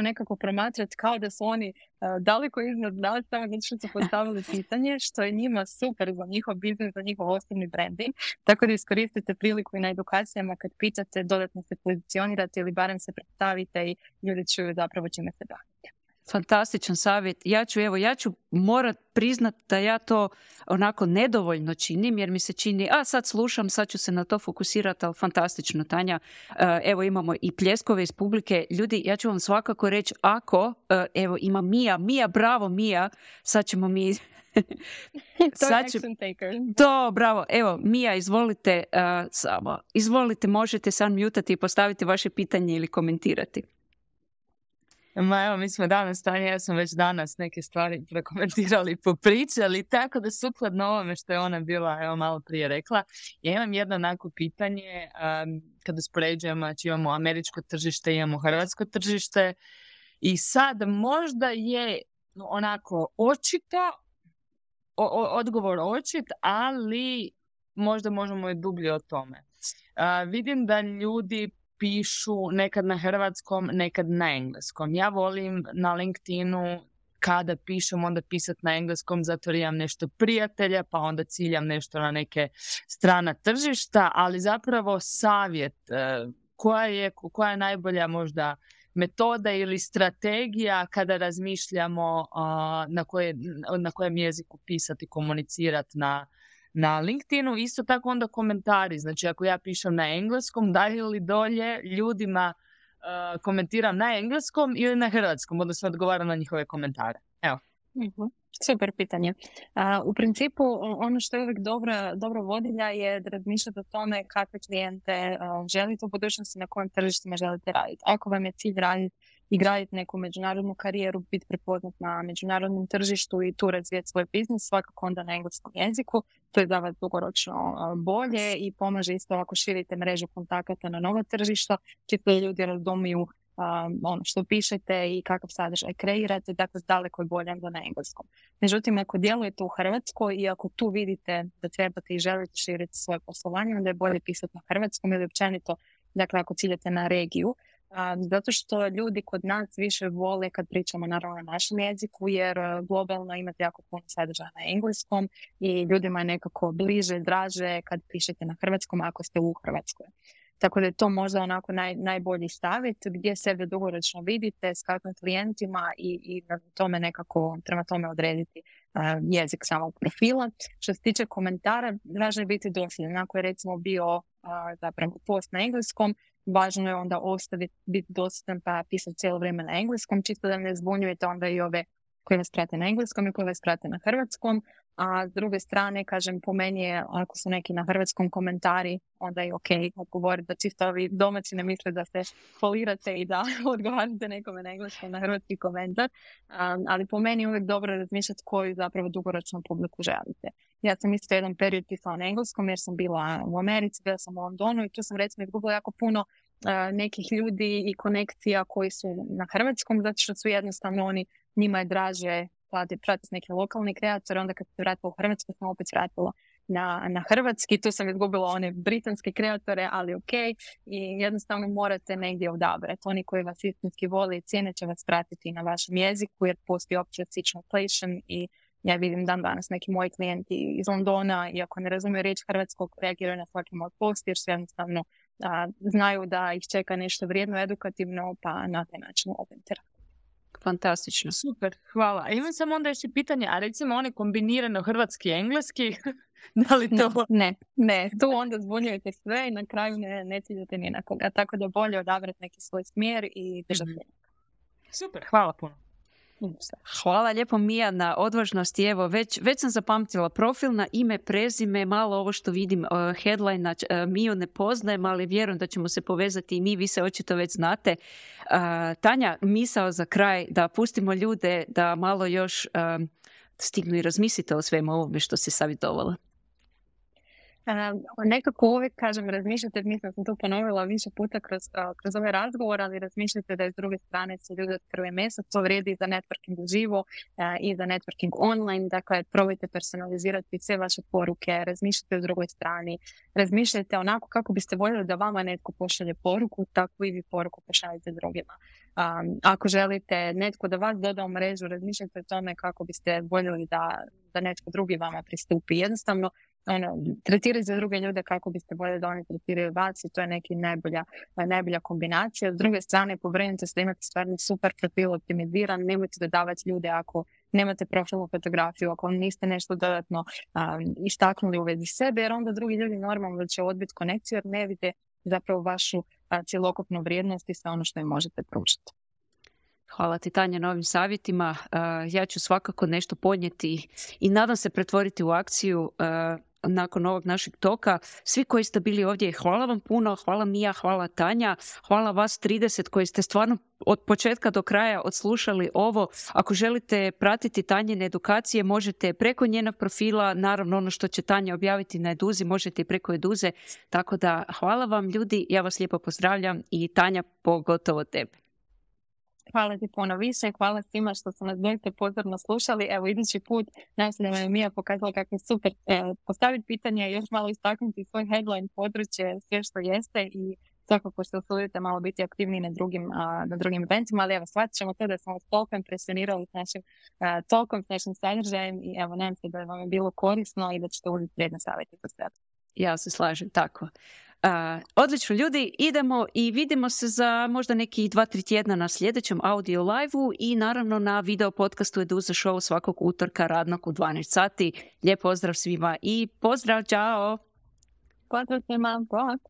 nekako promatrati kao da su oni daleko iznad nas, samo zato što su postavili pitanje, što je njima super za njihov biznis, za njihov osobni branding. Tako da iskoristite priliku i na edukacijama kad pitate, dodatno se pozicionirate ili barem se predstavite i ljudi čuju zapravo čime se bavite. Fantastičan savjet. Ja ću morat priznat da ja to onako nedovoljno činim, jer mi se čini, sad slušam, sad ću se na to fokusirati, ali fantastično, Tanja. Evo imamo i pljeskove iz publike. Ljudi, ja ću vam svakako reći, evo ima Mija, bravo Mija, sad ćemo mi... To, bravo. Evo, Mija, izvolite, možete sad mutati i postaviti vaše pitanje ili komentirati. Evo, mi smo danas, Tanja, ja sam već danas neke stvari prekomentirali, popričali, tako da sukladno ovome što je ona bila malo prije rekla. Ja imam jedno onako pitanje, kada uspoređujemo, znači imamo američko tržište, imamo hrvatsko tržište i sad možda je onako odgovor očit, ali možda možemo i dublje o tome. Vidim da ljudi pišu nekad na hrvatskom, nekad na engleskom. Ja volim na LinkedInu kada pišem onda pisati na engleskom zato jer imam nešto prijatelja pa onda ciljam nešto na neke strana tržišta, ali zapravo savjet koja je najbolja možda metoda ili strategija kada razmišljamo na kojem jeziku pisati, komunicirati na LinkedInu. Isto tako onda komentari, znači ako ja pišem na engleskom, dalje ili dolje ljudima komentiram na engleskom ili na hrvatskom, odnosno odgovaram na njihove komentare. Evo. Mm-hmm. Super pitanje. U principu ono što je uvijek dobro vodilja je da razmišljate o tome kakve klijente želite u budućnosti, na kojim tržištima želite raditi. Ako vam je cilj raditi i graditi neku međunarodnu karijeru, biti prepoznat na međunarodnom tržištu i tu razvijeti svoj biznis, svakako onda na engleskom jeziku. To je za vas dugoročno bolje i pomaže isto ako širite mrežu kontakata na nova tržišta, čisto ljudi razumiju ono što pišete i kakav sadržaj kreirate, dakle daleko je bolje nego na engleskom. Međutim, ako djelujete u Hrvatskoj i ako tu vidite da trebate i želite širiti svoje poslovanje, onda je bolje pisati na hrvatskom ili općenito, dakle ako ciljate na regiju, zato što ljudi kod nas više vole kad pričamo naravno na našem jeziku, jer globalno imate jako puno sadržaja na engleskom i ljudima je nekako bliže, draže kad pišete na hrvatskom ako ste u Hrvatskoj. Tako da je to možda onako najbolji savjet gdje sebe dugoročno vidite s kakvim klijentima i na tome nekako prema tome odrediti jezik samog profila. Što se tiče komentara, važno je biti dosljedan. Ako je recimo bio zapravo post na engleskom, važno je onda ostaviti, biti dosljedan pa pisati cijelo vrijeme na engleskom, čisto da ne zbunjujete onda i ove koji vas prate na engleskom i koji vas prate na hrvatskom. A s druge strane, kažem, po meni je, ako su neki na hrvatskom komentari, onda je ok odgovoriti da čisto ovi domaći ne misle da se folirate i da odgovarate nekome na engleskom na hrvatski komentar. Ali po meni je uvijek dobro razmišljati koju zapravo dugoročnu publiku želite. Ja sam isto jedan period pisala na engleskom jer sam bila u Americi, bila sam u Londonu i tu sam recimo izgubila jako puno nekih ljudi i konekcija koji su na hrvatskom, zato što su jednostavno njima je draže pratiti neke lokalne kreatore, onda kad se vratila u Hrvatsku sam opet vratila na hrvatski, tu sam izgubila one britanske kreatore, ali ok, i jednostavno morate negdje odabrati. Oni koji vas istinski vole i cijene će vas pratiti na vašem jeziku, jer postoji opće translation i ja vidim dan danas neki moji klijenti iz Londona, iako ne razumiju riječ hrvatskog, reagiraju na svaki moj post jer su jednostavno znaju da ih čeka nešto vrijedno, edukativno, pa na taj način opet. Fantastično. Super, hvala. A imam samo onda još i pitanje, a recimo one kombinirano hrvatski i engleski, da li to... Ne, tu onda zbunjujete sve i na kraju ne ciljate ni na koga. Tako da bolje odabrati neki svoj smjer i držati. Super, hvala puno. Hvala lijepo Mija na odvažnosti. Evo, već sam zapamtila profil na ime, prezime, malo ovo što vidim headline, Miju ne poznajem, ali vjerujem da ćemo se povezati i mi, vi se očito već znate. Tanja, misao za kraj, da pustimo ljude da malo još stignu i razmislite o svemu ovome što si savjetovala. Nekako uvijek kažem, razmišljate, mislim sam to ponovila više puta kroz ovaj razgovor, ali razmišljate da je s druge strane se ljudi od krve mesa, to vrijedi i za networking uživo i za networking online, dakle probajte personalizirati sve vaše poruke, razmišljate o drugoj strani, razmišljajte onako kako biste voljeli da vama netko pošalje poruku, tako i vi poruku pošaljete drugima. Ako želite netko da vas doda u mrežu, razmišljajte o tome kako biste voljeli da netko drugi vama pristupi. Jednostavno, tretirati za druge ljude kako biste voljeli da oni tretiraju vas i to je neki najbolja kombinacija. S druge strane, pobrinite se da imate stvarno super profil optimiziran, nemojte dodavati ljude ako nemate profilnu fotografiju, ako niste nešto dodatno istaknuli u vezi sebe, jer onda drugi ljudi normalno će odbiti konekciju jer ne vide zapravo vašu cjelokupnu vrijednost i sve ono što im možete pružiti. Hvala ti Tanja na ovim savjetima. Ja ću svakako nešto podnijeti i nadam se pretvoriti u akciju nakon ovog našeg toka. Svi koji ste bili ovdje, hvala vam puno, hvala Mija, hvala Tanja, hvala vas 30 koji ste stvarno od početka do kraja odslušali ovo. Ako želite pratiti Tanjine edukacije, možete preko njenog profila, naravno ono što će Tanja objaviti na Eduzi, možete i preko Eduze. Tako da hvala vam ljudi, ja vas lijepo pozdravljam i Tanja pogotovo tebe. Hvala ti puno više i hvala svima što su nas doista pozorno slušali. Evo, idući put, nadam se da vam je Mija pokazala kako je super postaviti pitanje i još malo istaknuti svoj headline područje, sve što jeste i svakako što usudite malo biti aktivniji na drugim eventima, ali evo, shvatit ćemo to da smo vas toliko impresionirali s našim tokom, s našim sadržajem i evo, nadam se da vam je bilo korisno i da ćete uzeti vrijedne savjete za sebe. Ja se slažem, tako. Odlično ljudi, idemo i vidimo se za možda neki 2-3 tjedna na sljedećem audio live-u i naravno na video podcastu Eduza Show svakog utorka radnog u 12 sati. Lijep pozdrav svima i pozdrav, čao! Pozdrav svima, bok!